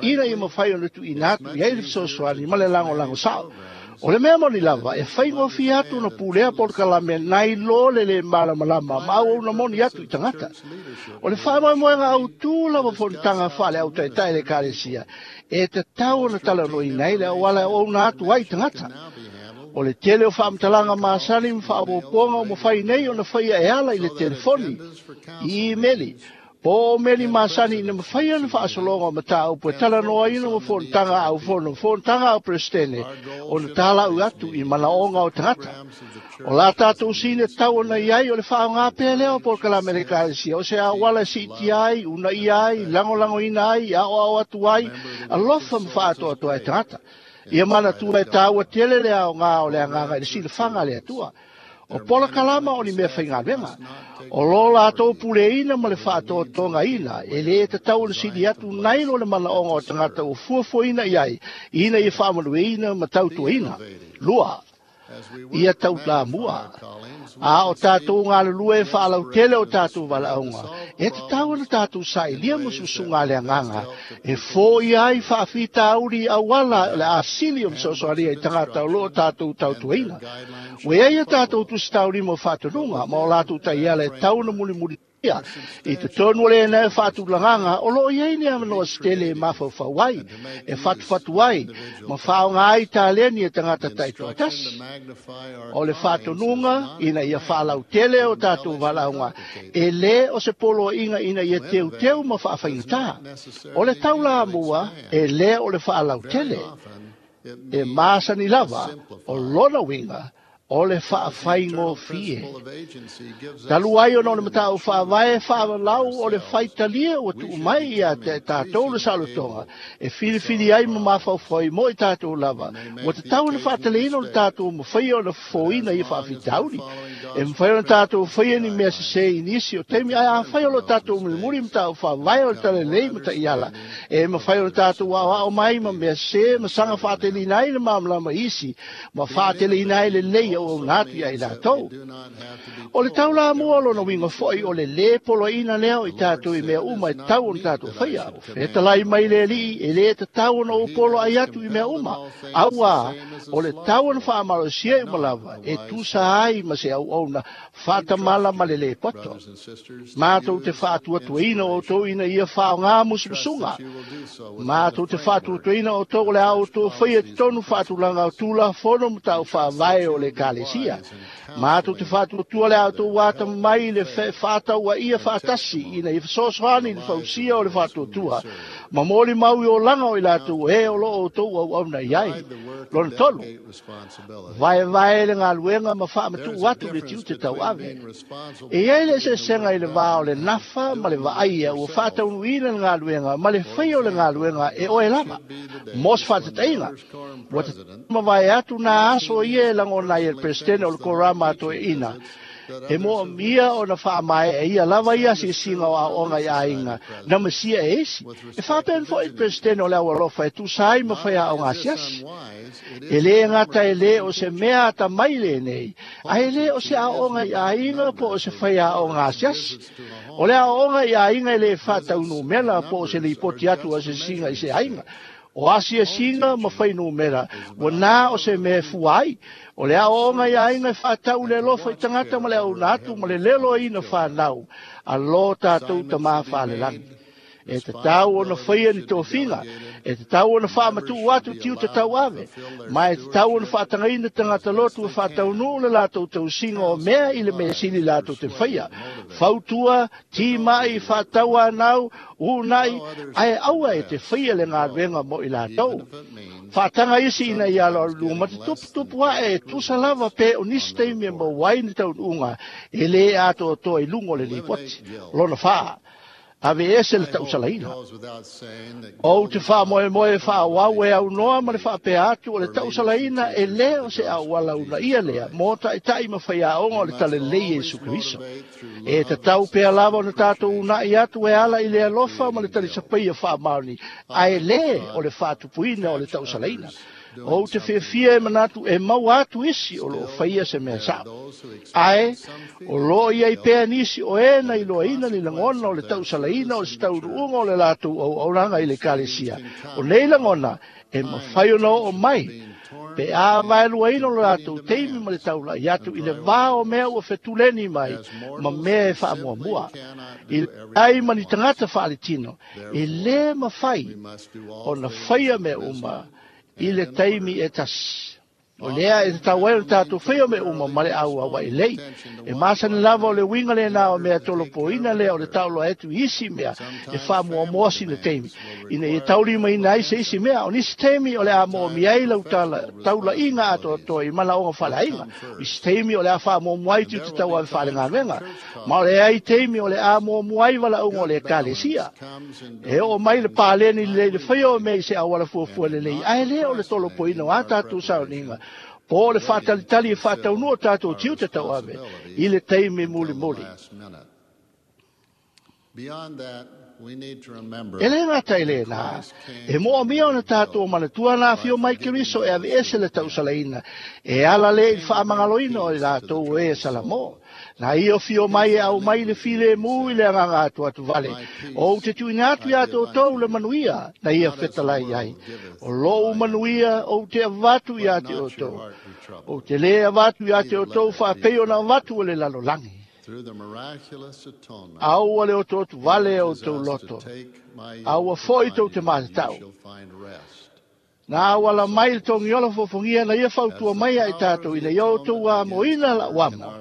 ina ia mafai ona tuuina atu i ai le fesoasoani ma le lagolago sao. O le mea moni lava, e faigofie atu ona pulea polokalame nai lo le lē malamalama ma auauna moni atu i tagata. O le faamoemoega autū lava fonotaga faale-autaitaʻi le Ekalesia, e tatau ona talanoaina ai le auala e auauna atu ai tagata. O le tele o faamatalaga masani ma faaopoopoga o mafai nei ona faia e ala i le telefoni, i imeli, po o meli masani ina mafai ona faasologa o mataupu e talanoaina ma fonotaga aufono, fonotaga au peresetene, ona talau atu i manaoga o tagata. O la tatou sine tau ona i ai o le faaaoga pea lea o polokalame le Ekalesia, o se auala e siitia ai, uunaia ai, lagolagoina ai, aoao atu ai, alofa ma faatoatoa e tagata. Ia manatua e taua tele le aoga o le agaga i le silafaga a le Atua. O polokalama o ni mea faigaluega. O lo latou puleina ma le faatoatogaina, e lē tatau ona sili atu nai lo le manaoga o tagata ua fuafuaina i ai, ina ia faamanuiaina ma tautuaina. Lua, ia taulamua. A o tatou galulue e faalautele o tatou valaauga, e tatau ona tatou sailia ma susuga a le agaga, e foia ai faafitauli auala o le asili o fesoasoania i tagata o loo tatou tautuaina. Ua i ai a tatou tusitaulima o faatonuga ma o latou taiala e tau ona mulimuli i totonu o lena e faatulagaga o loo i ai ni avanoa se tele e mafaufau ai, e fatufatu ai, ma faaaoga ai taleni e tagata taitoatasi. O le faatonuga ina ia faalautele o tatou valaauga, e lē o se poloaiga ina ia teuteu ma faafaigatā. O le taulamua, e lē o le faalautele. E masani lava, o lona uiga, o le faafaigofie. Talu ai ona o le mataupu faavae faavalau o le faitalia ua tuu mai ia te tatou le saolotoga, e filifili ai ma mafaufau ai mo i tatou lava, ua tatau ona faataleina o le tatou mafaia ona fofoina ia faafitauli. E mafai ona tatou faia ni mea sesē i nisi o taimi, ae afai o lo tatou mulimuli mataupu faavae o le talalelei ma taiala, e mafai ona tatou aoao mai ma mea sesē ma saga faateleina ai le malamalama i isi, ma faateleina ai lelei auauna atu ia i latou. O le taulamua o lona uiga foi o le lē poloaiina lea o i tatou i mea uma e tatau ona tatou faia. O fetalai mai le Alii, e lē tatau ona ou poloai atu i mea uma, auā o le tau ona faamalosia i uma lava e tusa ai ma se auauna faatamala ma le lē poto. Matou te faatuatuaina outou ina ia faaaogā musumusuga. Matou te faatuatuaina outou o le a outou faia totonu faatulaga o tulafono ma tau faavae o le Ekalesia. Matou te faatuatua le a outou atamamai i le fefaatauaia faatasi ina ia fesoasoani i le fausia o le faatuatua, ma molimau i olaga o i latou e o loo outou auauna i ai. Lona tolu, vaevae le galuega ma faamatuu atu le tiute tauave. E i ai le eseesega i le va o le nafa ma le vaaia ua faataunuuina le galuega ma le faia o le galuega e oe lava. Mo se faatataiga, ua mavae atu nā aso ia e lagona ai e le peresetene o le korama a toeaina, e moomia ona faamaea ia lava ia asiasiga o aoaoga i aiga na masia e isi. E faapena foi le peresetene o le aualofa e tusa ai ma faiaoga asiasi. E lē gata e lē o se mea atamai lenei, ae lē o se aoaoga i aiga po o se faiaoga asiasi. O le aoaoga i aiga e lē faataunumela po o se lipoti atu asiasiga i se aiga. O asiasiga ma fainumera, ua nā o se mea e fua ai. O le aoaoga i aiga e faatau le alofa i tagata ma le auauna atu ma le leloaina whanau, a lo tatou tamā faalelagi. E tatau ona faia ni tofiga, e tatau ona faamatuu atu tiute tauave, ma e tatau ona faatagaina tagata lotu e faataunuu le latou tausiga o mea i le mea sili latou te faia. Fautua, timai, faatauanau, uunai, ae aua e te faia le galuega mo i latou. Faataga isi ina ia aloalua ma te tuputupu ae e tusa lava pe o nisi taimi e maua ai ni taunuuga e lē atoatoa i luga o le lipoti. Lona fā, ave ese le tausalaina. Ou te faamoemoe faaauau e aunoa ma le faapea atu o le tausalaina e lē o se auala uunaia lea mo taʻitaʻi ma faiaoga o le talalelei Iesu Keriso. E tatau pea lava ona tatou uunai atu e ala i le alofa ma le talisapaia faamaoni, ae lē o le faatupuina o le tausalaina. O te fiafia e manatu e maua atu isi o loo faia se mea sa'o. Ae o loo iai pea nisi o e na iloaina ni lagona o le tausalaina o se taunuuga o le latou auaunaga i le ekalesia. O nei lagona e mafai ona oo mai pe a vaeluaina o le latou taimi ma le taula'i atu i le vā o mea ua fetuleni mai ma mea e faamuamua. I ai ma ni tagata faaletino, e lē mafai ona faia mea uma i le taimi e tasi. O lea e tatau ai ona tatou faia mea uma ma le auaua'i lei. E masani lava o le uiga lenā o mea tolopoina lea o le taʻoloa atu i isi mea e faamuamua sina taimi, ina ia taulimaina ai se isi mea. O nisi taimi o le a moomia ai lau taula'iga atoatoa i malaoga faaleaiga. Isi taimi o le a faamuamua ai tiute tauave faalegaluega. Ma o le ai taimi o le a muamua ai valaauga o le ekalesia. E oo mai le paleni lelei le faia o mea i se auala fuafua lelei, ae lē o le tolopoina o a tatou saoniga po o le faatalitali e faataunuu o tatou tiute tauave i le taimi mulimuli. E lē gata i lenā, e moomia ona tatou manatua na afio mai Keriso e aveese le tausalaina e ala lē i le faamagaloina o i latou o e salamō. Na ia fio mai e au mai le filemu i le agaga atu atu vale. O te tuuina atu iā toutou le manuia na ia fetalai ai. O lou manuia ou te avatu iā te outou. Ou te lē avatu iā te outou faapei ona avatu o le lalolagi. Aua le otooto vale o tou loto. Aua fo'i tou te matatau. Na auala mai le togiola fofogia na ia fautua mai ai tatou ina ia outou amoina la'u amo.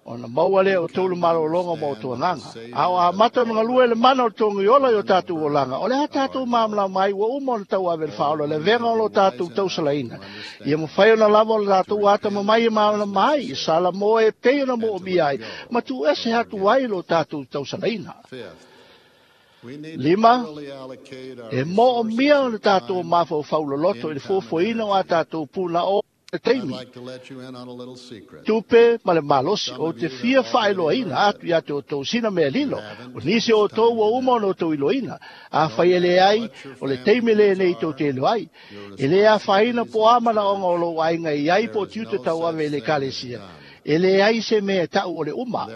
Ona maua lea o tou le malologa ma o agaga. A o amata ona galue le mana o le togiola i o tatou olaga, o le a tatou malamalama ai ua uma ona tauave le faaola le avega o lo tatou tausalaina. Ia mafai ona lava o le latou atamamai e malamalama ai, i Salamo e pei ona moomia ai, ma tuuese atu ai lo tatou tausalaina. Lima, e moomia ona tatou mafaufau loloto i le fuafuaina o a tatou puna o le taimi, tupe ma le malosi o te fia faailoaina atu ia te outou sina mea lilo. O nisi o outou ua uma ona outou iloaina. Afai e lē ai, o le taimi lenei tou te iloa ai. E lē afaina po o a manaoga o lou aiga i ai po o tiute tauave i le ekalesia. E lē ai se mea e taʻu o le uma.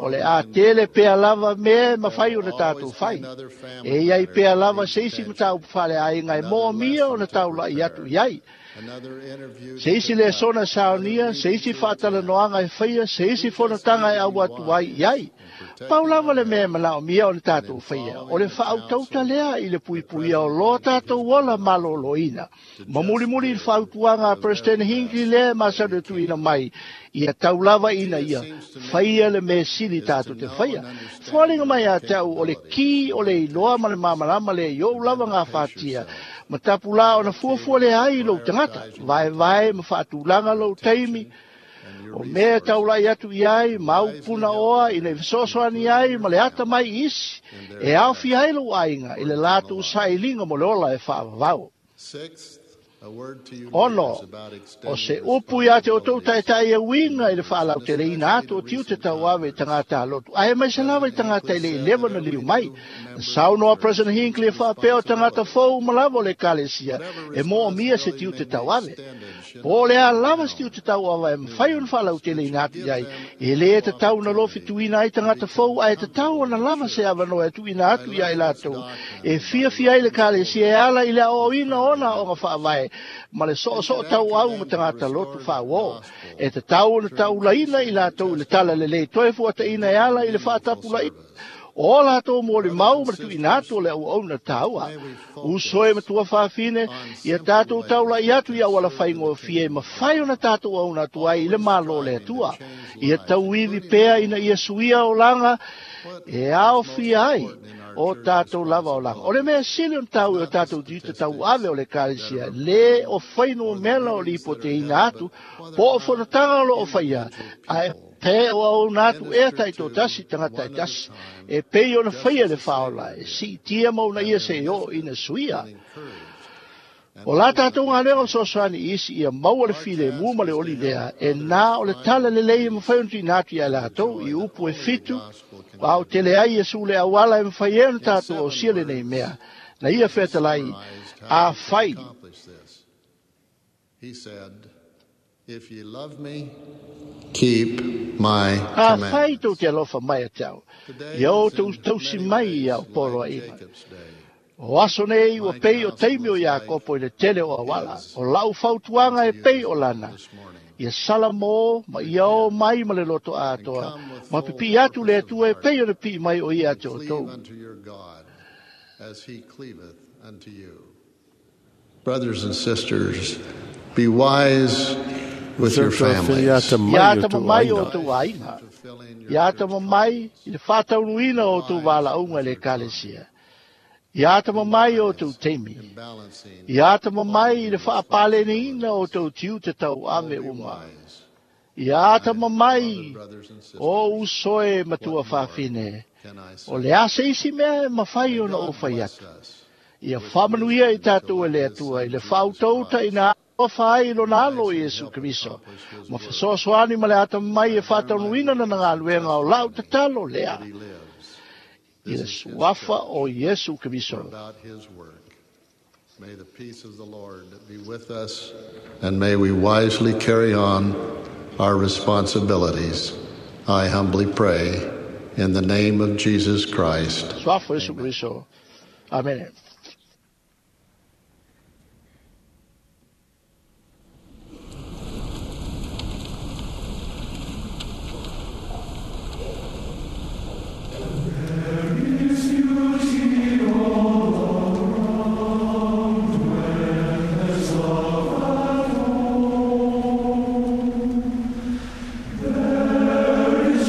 O le a tele pea lava mea e mafai ona tatou fai. E iai pea lava se isi mataupu faaleaiga e moomia ona taula'i atu i ai. Se isi lesona saonia, se isi faatalanoaga e faia, se isi fonotaga e au atu ai i ai. Pau lava le mea e manaomia ona tatou faia, o le faautauta lea i le puipuia o loa tatou ola malōlōina. Ma mulimuli i le fautuaga a President Hinckley lea e masani o tuuina mai, ia tau lava ina ia faia le mea sili tatou te faia. Foaliga mai ia te au o le ki o le iloa ma le malamalama lea i ou lava gafatia, ma tapulā ona fuafua lea ai i lou tagata, vaevae ma faatulaga lou taimi, o mea taula'i atu i ai, ma au puna oa ina i fesoasoani ai ma le ata mai i isi, e aofia ai lou aiga i le latou sailiga mo le ola e faavavau. Ono, o se upu ia te outou taetae e uiga i le faalauteleina atu o tiute tauave i tagata alotu. Ae mai se lava i tagata i le i leva na liu mai. Na saunoa President Hinckley e faapea o tagata fou ma lava o le ekalesia e moomia se tiute tauave. Po o le a lava se tiute tauava e mafai ona faalauteleina atu i ai, e lē tatau ona lofituina ai tagata fou, ae tatau ona lava se avanoa e tuuina atu ia i latou e fiafia ai le ekalesia e ala i le aoaoina ona aoga faavae ma le soosoo tauau ma tagata lotu faauō. E tatau ona taulaina i latou i le tala lelei toe fuataʻina e ala i le faatapulaʻi o latou molimau ma le tuuina atu o le auauna taua. Uso e matua fafine, ia tatou taulaʻi atu i auala faigofie e mafai ona tatou auna atu ai i le Malo o le Atua. Ia tauivi pea ina ia suia olaga e aofia ai o tatou lava olaga. O le mea sili ona taua i o tatou tiute tauave o le ekalesia, lē o fainumela o lipoteina atu po o fonotaga o loo faia, ae pe o auna atu ea taitoatasi tagata e tasi, e pei ona faia le faaola e siitia ma ona ia se i oo ina suia. O la tatou galuega o fesoasoani i isi ia maua le filemu ma le oli lea, e nā o le tala lelei e mafai ona tuuina atu ia latou i upu e fitu, a o tele ai Iesu le auala e mafai ai ona tatou ausia lenei mea. Na ia fetalai, afai He said, If ye love me, keep my A fai commandments. tou te alofa mai a te au. Today Ia o is tou in tausi many mai ways ia o polo a like ina. Jacob's day. O aso nei ua My pei o counsel taimi o is ia like kopo i le tele o awala. his O lau fautuanga e unto pei you o lana. this morning. Ia sala mo ma ia o mai ma le loto And atoa. come with Ma full pipi atu le purpose of atua e heart, pei o le pii mai o ia and te o cleave tou. unto your God as he cleaveth unto you. Brothers and sisters, be wise with your Sir families. Filiata Ia mai o ata tou mamai o aiga. tou aiga. Fulfilling your Ia church ata mamai callings. i le whātaunuina Be o tou wise wālaunga with le your time. kalesia. Ia ata Be mamai o wise tou teimi. in balancing Ia ata all mamai i your le whaapaleniina o responsibilities. tou tiu te tau Oh, ame be uma. wise, Ia ata my beloved mamai brothers and o sisters. usoe matua What more whawhine. can I O say? le ase isi mea e mawhai May ona o God whai bless atu. us Ia with whamanuia i wisdom to tātou e love le his atua i Son le Jesus whautauta Christ ina alofa ai lona and alo wisely Iesu help Keriso. accomplish his Ma work. whasoasoani ma le ata mai I e bear my whātaunuina na witness ngā and luenga o lau testimony tatalo lea. that he lives. I This le is his suafa church. o Iesu We're Keriso. about his work. May the peace of the Lord be with us, and may we wisely carry on our responsibilities. I humbly pray in the name of Jesus Christ. Suafa Iesu Amen. Keriso. Amen. There is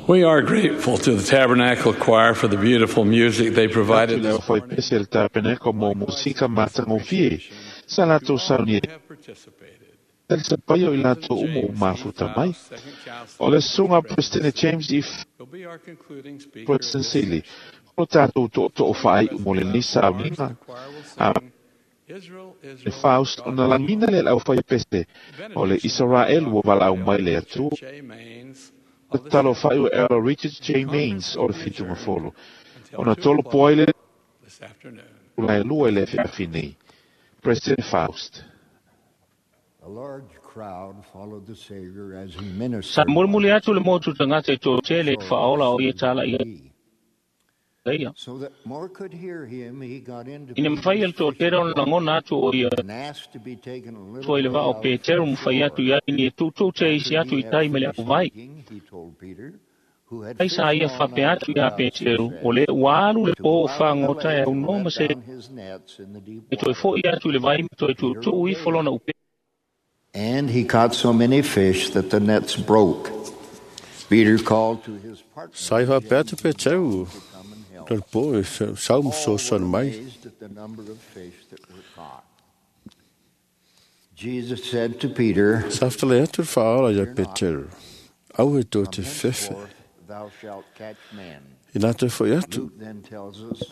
We are grateful to the Tabernacle Choir for the beautiful music they provided Le this fai pese le tapeneko mo musika matagofie sa latou saunia le sapaia o i latou uma o mafuta mai. O le susuga President James E. President Sili, o tatou tootoo faaiu mo lenei sauniga a le Faust ona lagina le laufai pese o le Israel ua valaau mai le Atua. O talo fai o Elder Richard J. Maines o le Fitungafolo. Ona tolo poai le la lua i le afiafi nei. President Faust. A large crowd followed the Savior as he Sa ministered. mulimuli atu le motu tagata i toatele i faaola o ia tala ia ia. So that more could hear him, he got into Ina mafai e le toatele ona lagona atu o ia and asked to be taken a little tua i le way vaa o out Peteru to ma fai shore. atu i ai ni e tutu te isi atu i tai ma le auvai. He told Peter, who had Ai sa fished ia all fape night atu ia without Peteru, success, o le ua alu le to po go o out on the fagota e lake au and no ma let se down his nets in the deep e toe water. fo'i atu i le vai ma toe tuutuu ifo lona upe. And he caught so many fish that the nets broke. Peter called to his partner Sa i faapea atu Peteru le po e sau ma fesoasoani mai. amazed at the number of fish that were caught. Jesus said to Peter, Sa fetala'i atu le faaola ia Peteru, au e tou te fefe. Thou shalt catch men. I latou fo'i atu. Luke then tells us,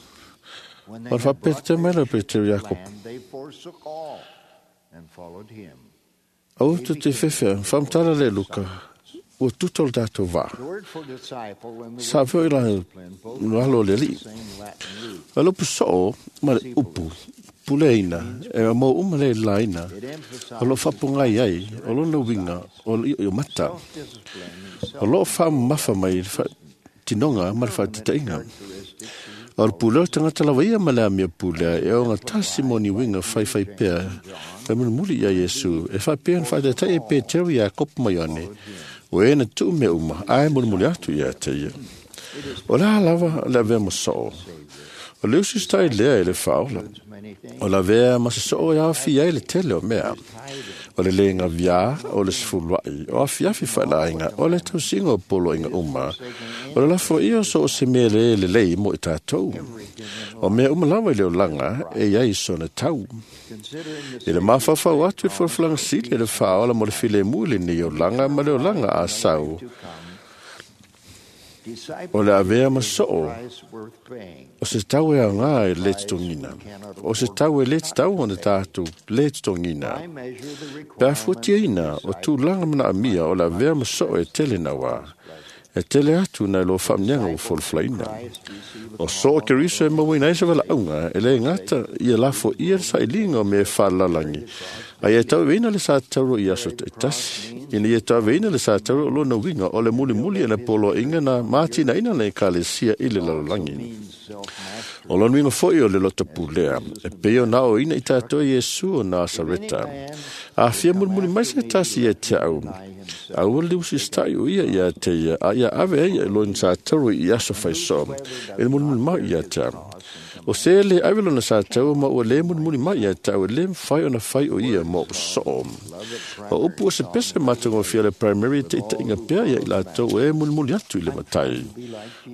when they O le had brought faapea mai le fish Peteru to Iakopo. land, they forsook all and followed him. Au e tou te fefe, whamtala le Luka, ua tuta o le tatou vaa. The word for disciple and the Sa word feo i for la discipline both alo le use alii. the same Latin root. A lopu soo ma le upu, puleina, e mo uma le laina, o lo fapongai ai, o lona uiga, o le io mata. O loo whaamafa mai le tinoga ma le whaatitaiga. O le pulea o tagata lava ia ma le amia pulea, e o ngā tasi mo ni winga whaiwhai pea, e mulimuli ia Iesu, e whaapea na whaataitai e Peteru ia Kopo mai ane, o e na tuu mea uma, ae mulimuli atu ia te ia. O la lava le avea mo soo. O le usi stai lea e le whaola. O la vea ma se soo e afi ai le tele o mea. O le lenga via, o le sefuluai, o afiafi whaelainga, o le tausinga o poloinga uma. O le lafo ia so o se mea le le lei mo i tātou. O mea uma lava i le olanga, e iai sona tau. I le mawhawhau atu i le whalafalanga sili e le whaola mo le file mu le ni olanga ma le olanga a sau. O le avea ma soo, o se tau e ngā e le titongina. O se tau e le titau ona tātou le titongina. Pea fuatiaina o tūlanga mana amia o le avea ma soo e tele na wā. E tele atu na lo whaamnianga o foloflaina. O soo Keriso e mawina e se wala aunga e le ngata ia lafo ia le sailinga o me whalalangi. A ia tau veina le sa tauro i aso te tasi. Ina ia tau veina le sa tauro o lona winga o le muli muli e na polo inga na mātina ina le kalesia i le lalolangi. O lona winga foi o le lota pulea. E peo na o ina i tātou Iesu o Nasareta. A fia muli muli mai se tasi e te au. A ua le usi stai o ia ia te ia. A ia ave e ia lona sa tauro i aso whaiso. E le muli muli mai ia te au. O se le ave lona sa tau ma ua le muli muli mai ia te au e le mwhai ona whai o ia mo soo. O upu o se pese matango fia le primary te ita inga pea ia i lātou e muli muli atu i le matai.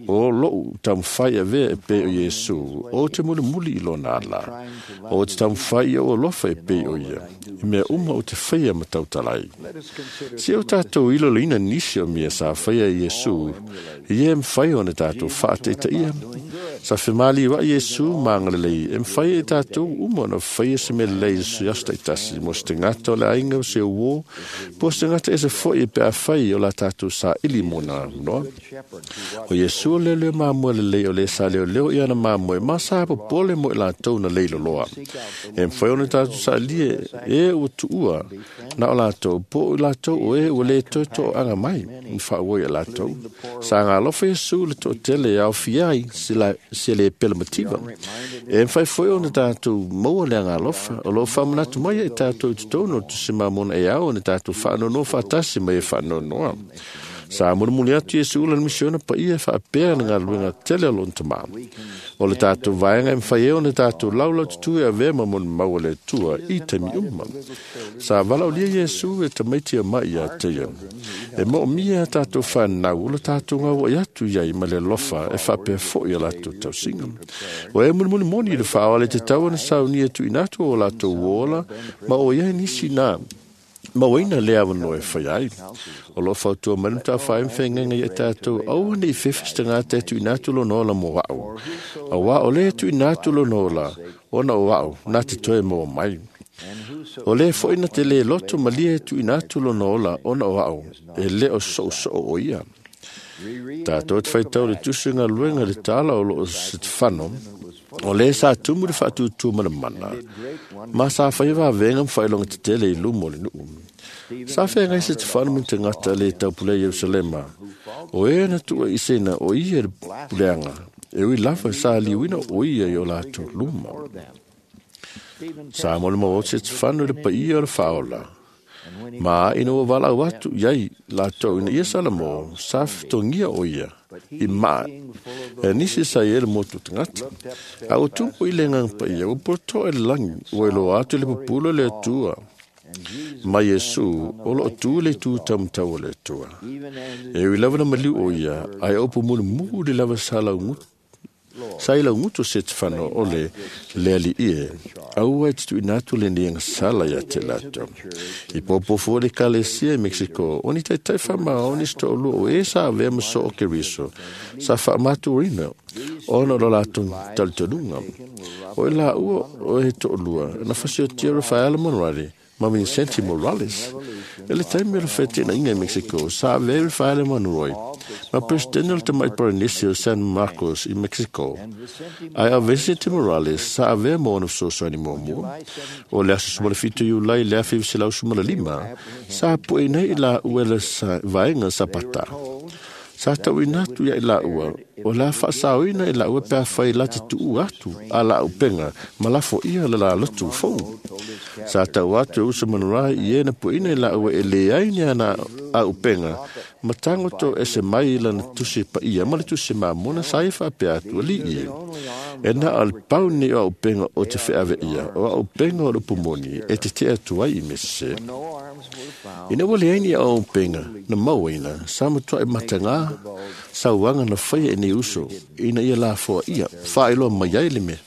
O lou tamwhai a vea e pe o Iesu, o te muli muli i lona ala. O te tamwhai ia o alofa e pe o ia. I mea uma o te whaia ma tautalai. Si o tātou ilo leina nisi o mea sa whaia i Iesu, i e mwhai ona tātou whaate ita ia. Sa whemali wa Iesu maangalelei, e mwhai e tātou uma ona whaia se mea lei su asta i tasi, mo se te ngata o le ainga o se uo, po se ngata e se foi e pe a whai o la tātou sa ili mona, no? O Iesu o leo leo māmua le lei o le sa leo leo i ana māmua e masa hapo pole mo i lātou na leilo loa. E mwhai ona tātou sa lie e ua tuua na o lātou, po o lātou o e ua le toi to anga mai, mwha ua i a lātou. Sa ngā alofa Iesu le to tele au fiai se, la, se le pele mativa. E mwhai foi ona tātou maua le anga alofa, o lo whamanatu mai e tātou i tōno tu se mamona e au ona tātou whaanono whatasi mai e whaanonoa. Sa mulimuli atu Iesu lana misiona paia e faapea le galuega tele o lona tamā. O le tatou vaega e mafai ai ona tatou laulaututu e avea ma molimau a le Atua i taimi uma. Sa valaaulia Iesu e tamaiti e mai ia te ia. E moomia a tatou whanau o le tatou ngau atu iai ma le alofa e faapea fo'i a latou tausiga. O e mulimuli moni i le faaoa le te tau ana saunia tuuina atu o latou ola ma o iai nisi na mauaina le avanoa e fai ai. O loo fautua mai le matafai ma feagaiga ia tatou aua nei fefe se tagata e tuuina atu lona ola mo a'u. Auā o lē tuuina atu lona ola ona o a'u na te toe maua mai. O lē fo'i na te lē loto malie e tuuina atu lona ola ona o a'u e lē o so'oso'o o ia. Tatou te faitau le tusi galuega le tala o loo Setefano o lē sa tumu le faatūtū ma le mana ma sa faia vavega ma faailoga tetele i luma o le nuu. Sa feagai Setefano ma tagata le taupulea Ierusalema o e na tuuaʻiseina o ia le puleaga e ui lava sa liuina o ia i o latou luma. Sa molimau o Setefano i le paia o le faaola ma ina ua valaau atu iai latou ina ia Salamo sa fetogia o ia i maa e nisi sa ia le motu tagata. A ua tupu i le agaga paia ua poto'e le lagi ua iloa atu le pupula le Atua ma Iesu o loo tu le itu taumatau o le Atua. E ui lava na maliu o ia ae opu mulimuli lava sa laugutu sa i laugutu Setefano o le le alii e aua e te tuuina atu lenei agasala ia te latou. I popofu o le Ekalesia i Mexico o ni taitai faamaoni se to'alua o e sa avea ma soo Keriso sa faamatuina ona o lo latou talitonuga. O i laua o e to'alua na fasiotia Rafaela Monrari ma Vincente Morales. E le taimi o le fetenaiga i Mexico sa avea Rafaela Monroy ma presidente o le tamai Paranisi o San Marcos i Mexico. Ae a Vicente Morales sa avea mo ona fesoasoani muamua. O le aso sumalafitu Iulai le afe iva selau sa pu'eina ai i laua le vaega Sapata. Sa tauina atu ia i laua o la faasaoina i laua pe afai la te tu'u atu a la aupenga ma lafo'ia le lalotu fou. Sa tau atu e usa manurai i e na pu'eina i laua e leai ni ana aupenga ma tagoto ese mai i lana tusi paia ma le tusi mamona sa ia faapea atu ali'i e. E na o le pau nei o aupenga o te fe'ave'ia o aupenga o le upumoni e tete'e atu ai i mesese. Ina ua leai ni aupenga na mauaina sa matua'i matagā sauaga na faia e nei uso ina ia lafoa ia faailoa mai ai le mea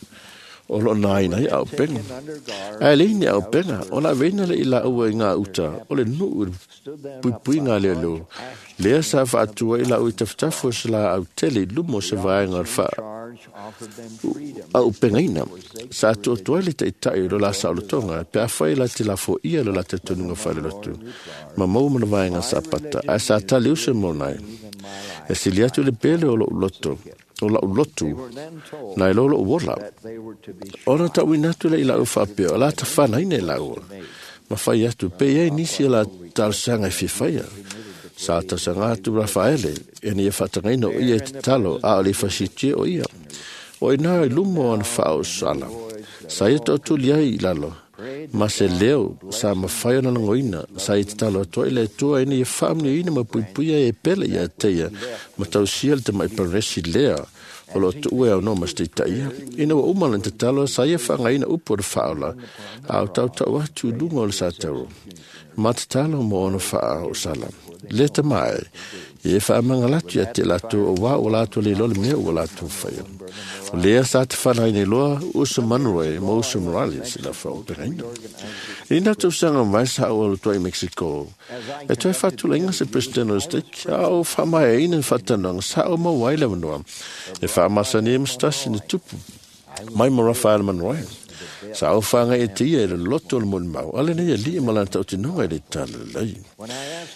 o loo nāina ai aupenga. Ae leai ni aupenga ona aveina le i laua i ngā uta o le nuu i le puipuiga leoleo lea sa faatua i laua i tafatafu o se laau tele i luma o se vaega o le faa aupegaina. Sa atuatu ai le ta'ita'i o lo la saolotoga pe afai la te lafo'ia lo la talitonuga faalelotu ma maua ma le vaega Sapata ae sa tali uso monai. E sili atu le pele o lo'u loto o la'u lotu nai lo lo'u ola. Ona ta'uina atu le i la'u faapea o la tafanaina i la'ua ma fai atu pe iai nisi e la talosaga e fiafaia. Sa tausaga atu Rafaele ina ia faatagaina o ia i tatalo a o le fasitia o ia. O ina i luma o ana faaosala sa ia to'atuli ai i lalo ma se leo sa mafai ona lagoina sa ia tatalo atu ai le Atua ina ia faamanuiaina ma puipuia e pele ia te ia ma tausia le tama'i paresi lea o loo tu'u e aunoa ma se taitaia. Ina ua uma lana tatalo sa ia faagaina upu o le faaola a o tautau atu i luga o le satau ma tatalo mo ona faaosala. Le tamae ia e faamagalatu ia te latou o wā o latou le iloa le mea ua latou faia. O lea sa te whanaine loa Usa Monroe ma Usa Morales i la whaopegaina. I nā tausaga mai sa o alo i Mexico. E toe whātulainga se president o state a o whaamaeaina whatananga sa o mauai le wanoa. E whaamasani e mastasi ni tupu mai mo Rafael Monroe. Sa o whanga e te ia e le loto o le molimau. Ale nei e li e malana tautinoga i le talalei.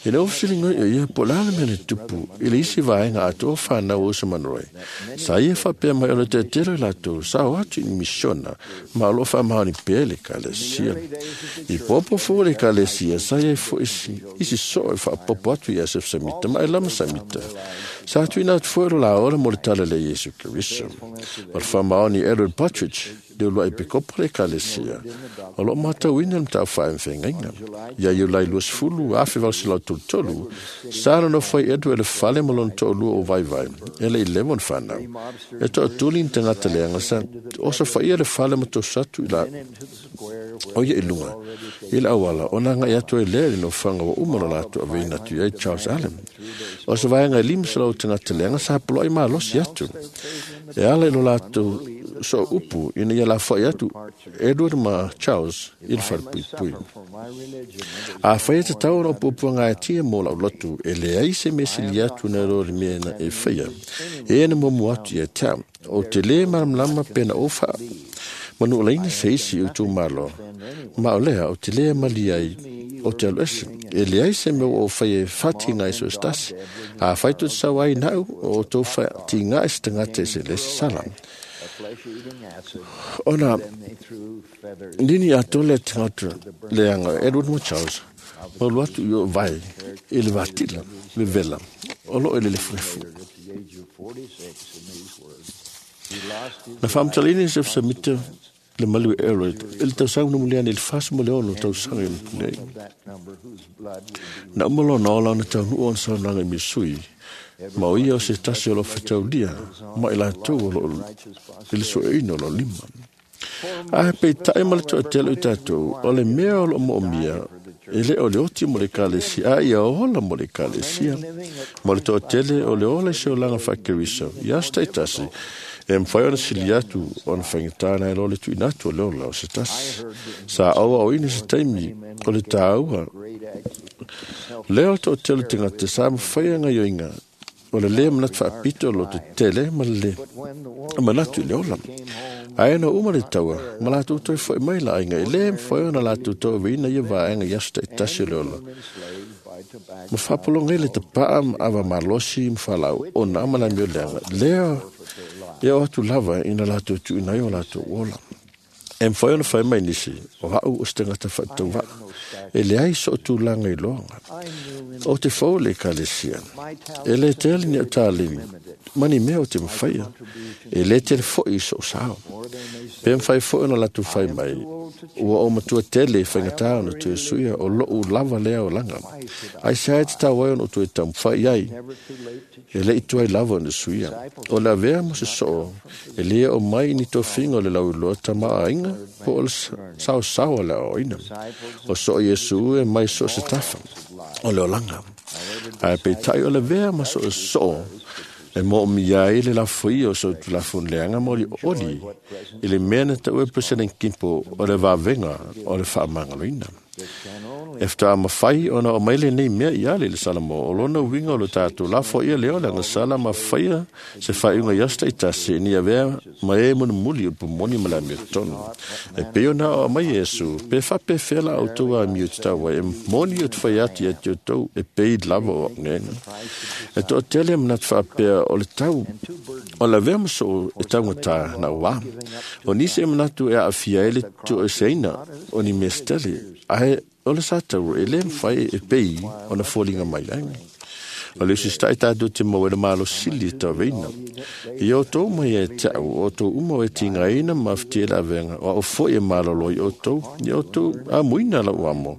I le ofisilinga o ia po lana mea le tupu i le isi vaega atoa whanau o Usa Monroe. Sa ia whapea mai o le tetelo i latou sa o atu i misiona ma o loo whaamaoni pea le Ekalesia. I popo fo le Ekalesia sa ia fo isi, isi soo e whaapopo atu i Asef Samita ma e lama Samita. Sa tuina atu foi lo la ola mo le tala le Iesu Keriso. O le whamaoni Edward Partridge, le ulua i pekopo le kalesia. O lo matauina le mtau whaemwhengainga. Ia iulai luasefulu, afe vausilau tolu, sa no fai Edward le fale mo lona to'olua o vaivai, e le i lewa ona fanau. E to'atuli ni tagata leaga sa oso faia le fale ma toso atu i la o ia i luga i le auala ona agai atu ai lea i le nofoaga ua uma lo latou aveina atu i ai Charles Allen. O se vaega e lima selau tagata leaga sa poloai malosi atu e ala i lo latou sooupu ina ia lafoai atu Edward ma Charles i le falepuipui. Afai e tatau ona opuopuagaetia mo lau lotu, e leai se mea sili atu nai lo le mea na e faia. E na muamua atu ia te au, o te lē malamalama pe na ou faamanulaina se isi i itumalo, ma o lea o te lē malie ai o te alu ese. E leai se mea ua ou faia e faatiga i so se tasi. Afai tou te sau ai na'u, o outou faatiga i se tagata e se le isi sala. Ona nini atoa le tagata leaga Edward ma Charles ma alu atu i o vai i le vatila vevela o loo i le lefulefu. Na faamatalaina e Joseph Smith le malu e Edward i le tausaga mulimuli ane i le fasi ma le ono tausaga i nei. Na uma lona ola ona taunuu ona saunoaga i Misui, ma o ia o se tasi o lo fetaulia ma i latou o loo i le sueina o lo lima. Ae peitai ma le toatele o i tatou, o le mea o loo moomia, e le o le oti mo le ekalesia, a ia ola mo le ekalesia. Ma o le toatele o le ola i se olaga faakeriso, i aso taitasi, e mafai ona sili atu ona faigata nai lo le tuuina atu o le ola o se tasi. Sa aua o ina se taimi o le tāua. Lea o le toatele o tagata sa mafai gaoioiga o le lē manatu faapito o lo tetele ma le manatu i le ola. Ae na uma le taua, ma latou toe fo'i mai la aiga, e lē mafai ona latou tauaveina ia vaega i aso taitasi o le ola. Ma faapologa ai le tapaa ma ava malosi ma faalaau ona ma le amio leaga. Lea e oo atu lava ina latou tuuina ai o latou ola. E mafai ona fai mai nisi, o au o se tagata faatauvaa, e leai soo tulaga i loaga. O te fou le ekalesia, e lē tele ni au taleni, ma ni mea o te mafaia, e lē tele fo'i i soo sao. Pe mafai fo'i ona latou fai mai, ua ou matua tele i faigata ona toe suia o lou lava lea olaga. Ai se ai tatau ai ona ou toe taumafai ai, e le i tuai lava ona suia. O le avea mo se soo, e lē oo mai i ni tofiga o le lauiloa tamaoaiga po o le saosao a le aoaoina. O soo Iesu e mai so se tafa o le olaga. Ae peitai o le avea ma so soo e moomia ai le lafoia o so tulafono leaga ma olioli i le mea na taua e President Kimpo o le vavega o le faamagaloina. E faatoa mafai ona oo mai lenei mea ia le i le Salamo, o lona uiga o lo tatou lafoia lea o le agasala ma faia se faaiuga i aso taitasi ina ia avea ma e mulimuli o le pumoni ma le amiotonu. E pei ona oo mai Iesu, pe faapefea la outou amio i tatau ai, e moni o te fai atu ia te outou e pei lava o au. E toatele e manatu faapea o le tau o le avea ma soo e taugata na uā. O nisi e manatu e aafia ai le tuueseina o ni mea setele, ae o le sa taua e lē mafai e pei ona foliga mai ai. O le usita'i tatou te maua i le malosili e tauaveina. Ia outou mai ia te au, o outou uma o e tigaina ma afatia i le avega, o au fo'i e malolo i outou, ia outou amuina lau amo,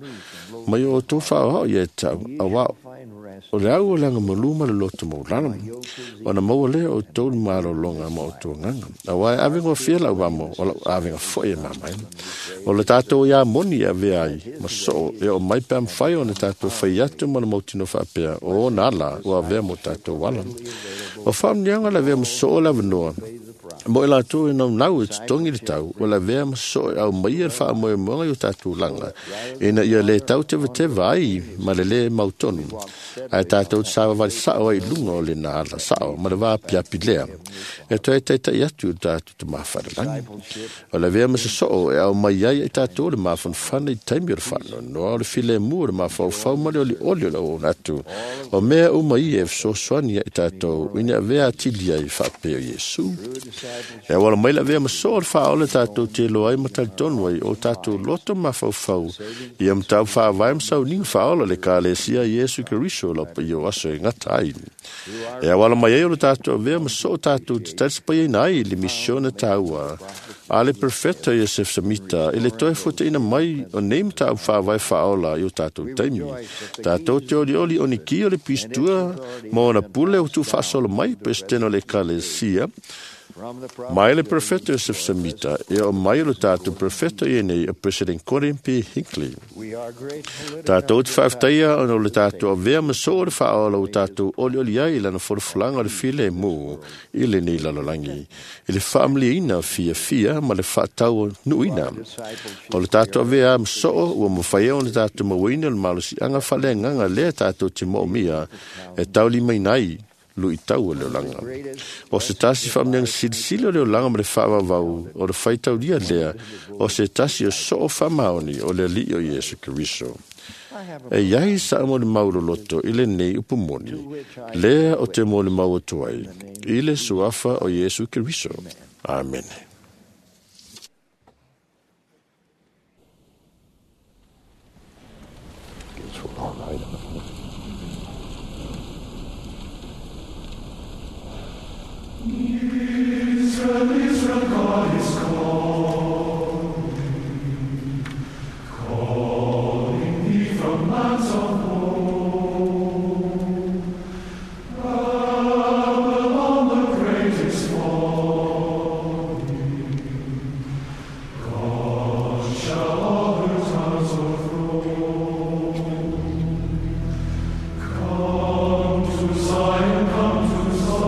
ma ia outou faaoao ia te au, auā o le au o le agamalu ma le loto maulalo. Ona maua lea o outou le malologa ma outou agaga. Auā e avegofie lau amo, o lau avega fo'i e mamaina. O le tatou iā moni e avea ai ma soo e oo mai pe a mafai ona tatou fai atu ma le mautinoa faapea, o ona ala ua avea mo tatou ala. O faamanuiaga o le avea ma soo le avanoa mo i latou e naunau e totogi le tau, o le avea ma soo e aumaia le faamoemoega i o tatou laga, ina ia lē tau tevateva ai ma le lē mautonu, ae tatou te savavali sao ai i luga o lena ala sao ma le vaapiapi lea e toe taita'i atu i lo tatou Tamā Falelagi. O le avea ma se soo e aumai ai i tatou le mafanafana i taimi o le faanoanoa, o le filemu o le mafaufau ma le olioli o le auauna atu. O mea uma ia e fesoasoani ai i tatou ina avea atili ai faapea o Iesu. E awala mai la vea maso o le whaole tātou te loa ai matalitonu ai o tātou loto mafaufau ia matau whaavai masau ninga whaola le kalesia Iesu Keriso lau pa o aso e ngata ai. E awala mai ai o le tātou avea maso o tātou te talisapai ai nai le misiona tāua. A le perfecto Iosef Samita, i le toe fuata ina mai o nei matau whaavai whaola i o tātou taimi. Tātou te oli oli o ni ki o le pistua ma ona pule o tu whaasolo mai presidente o le kalesia. Mai le prefeto Joseph Samita e o mai o tātou prefeto i nei o President Gordon P. Hinckley. Tātou te whaaftaia o le tātou avea maso o le whaola o tātou oli oli ai lana forofulanga o le file mū i le nei lalolangi. I le whaamliina fia fia ma le whaatau nuina. O le tātou avea maso ua mawhaia o le tātou mawina o le malosi anga whale nganga lea tātou te moomia e tauli mai nai lui tau o le olanga. O se tasi whaamniang silisili o le olanga ma le whaavavau o le whaitauria lea o se tasi o soo whamaoni o le li o Iesu Keriso. E iai sa mo le mauro loto i le nei upumoni, lea o te mo le mau atu ai, i le suafa o Iesu Keriso. Amen. Israel, Israel, God is calling, calling thee from lands of woe. Babylon the great is falling, God shall all her towns overthrow. Come to Zion, come to Zion.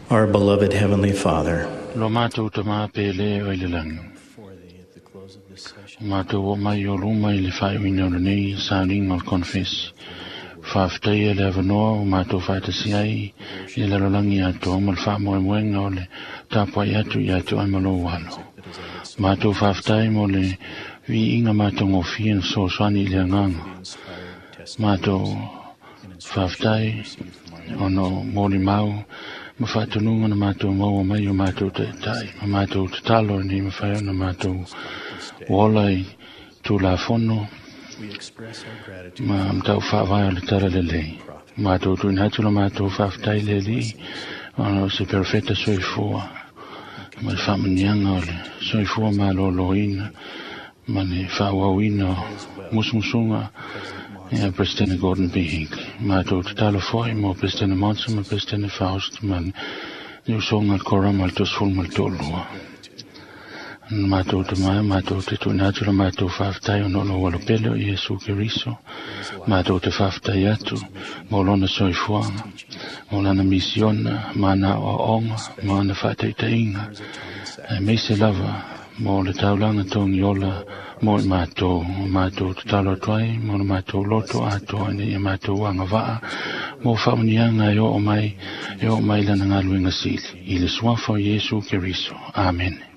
Our beloved Heavenly Father, Lo mātou ta mā pele o i le langi. O mātou o mai o luma i le whaiwina o lenei sauninga o le konfesi. Whaaftai e le avanoa o mātou whaatasi ai i le lalolangi atoa ma le whaamoemoenga o le tāpai atu i atu ai ma lou alo. Mātou whaaftai mo le viiga mātou ngofia na sosoani i le anganga. Mātou whaaftai ono mōli mau ma whaatununga na mātou maua mai o mātou taitai, ma mātou tatalo ni ma whai ona mātou ola i tūlafono ma mtau whaawai o le tara le lei. Mātou tuina atu la mātou whaaftai le li, ona o se perfeta soifua, ma le whaamanianga o le soifua mālōlōina, ma le whaawauina o musumusunga ia President Gordon B. Hinckley. Mātou tatalo foi mo President Monson ma President Faust ma le usoga le korama le tosefulu ma le toalua. Mātou te mai, mātou te tuuina atu la mātou faafetai ona o lou alopele o Iesu Keriso. Mātou te faafetai atu mo lona soifuaga, mo lana misiona, ma ana aoaoga, ma ana faataitaiga, aemaise lava mo le taulaga togiola mo i mātou, o mātou tatalo atu ai, mo le mātou loto atoa ina ia mātou agavaa, mo faamanuiaga e oo mai, e oo mai lana galuega sili, i le suafa o Iesu Keriso. Amene.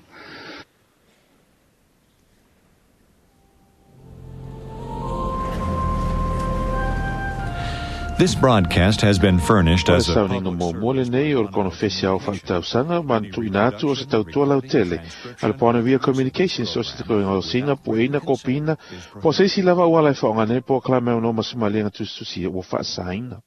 This broadcast has been furnished O le as a sauniga muamua lenei o le konofesi ao faaletausaga ma na tuuina atu o se tautua lautele a le Paonia Communications o se tekonolosiga pueina kopiina po o se isi lava auala e faaaogaina ai polokalame o no ma se maliega tusitusia ua faasaina.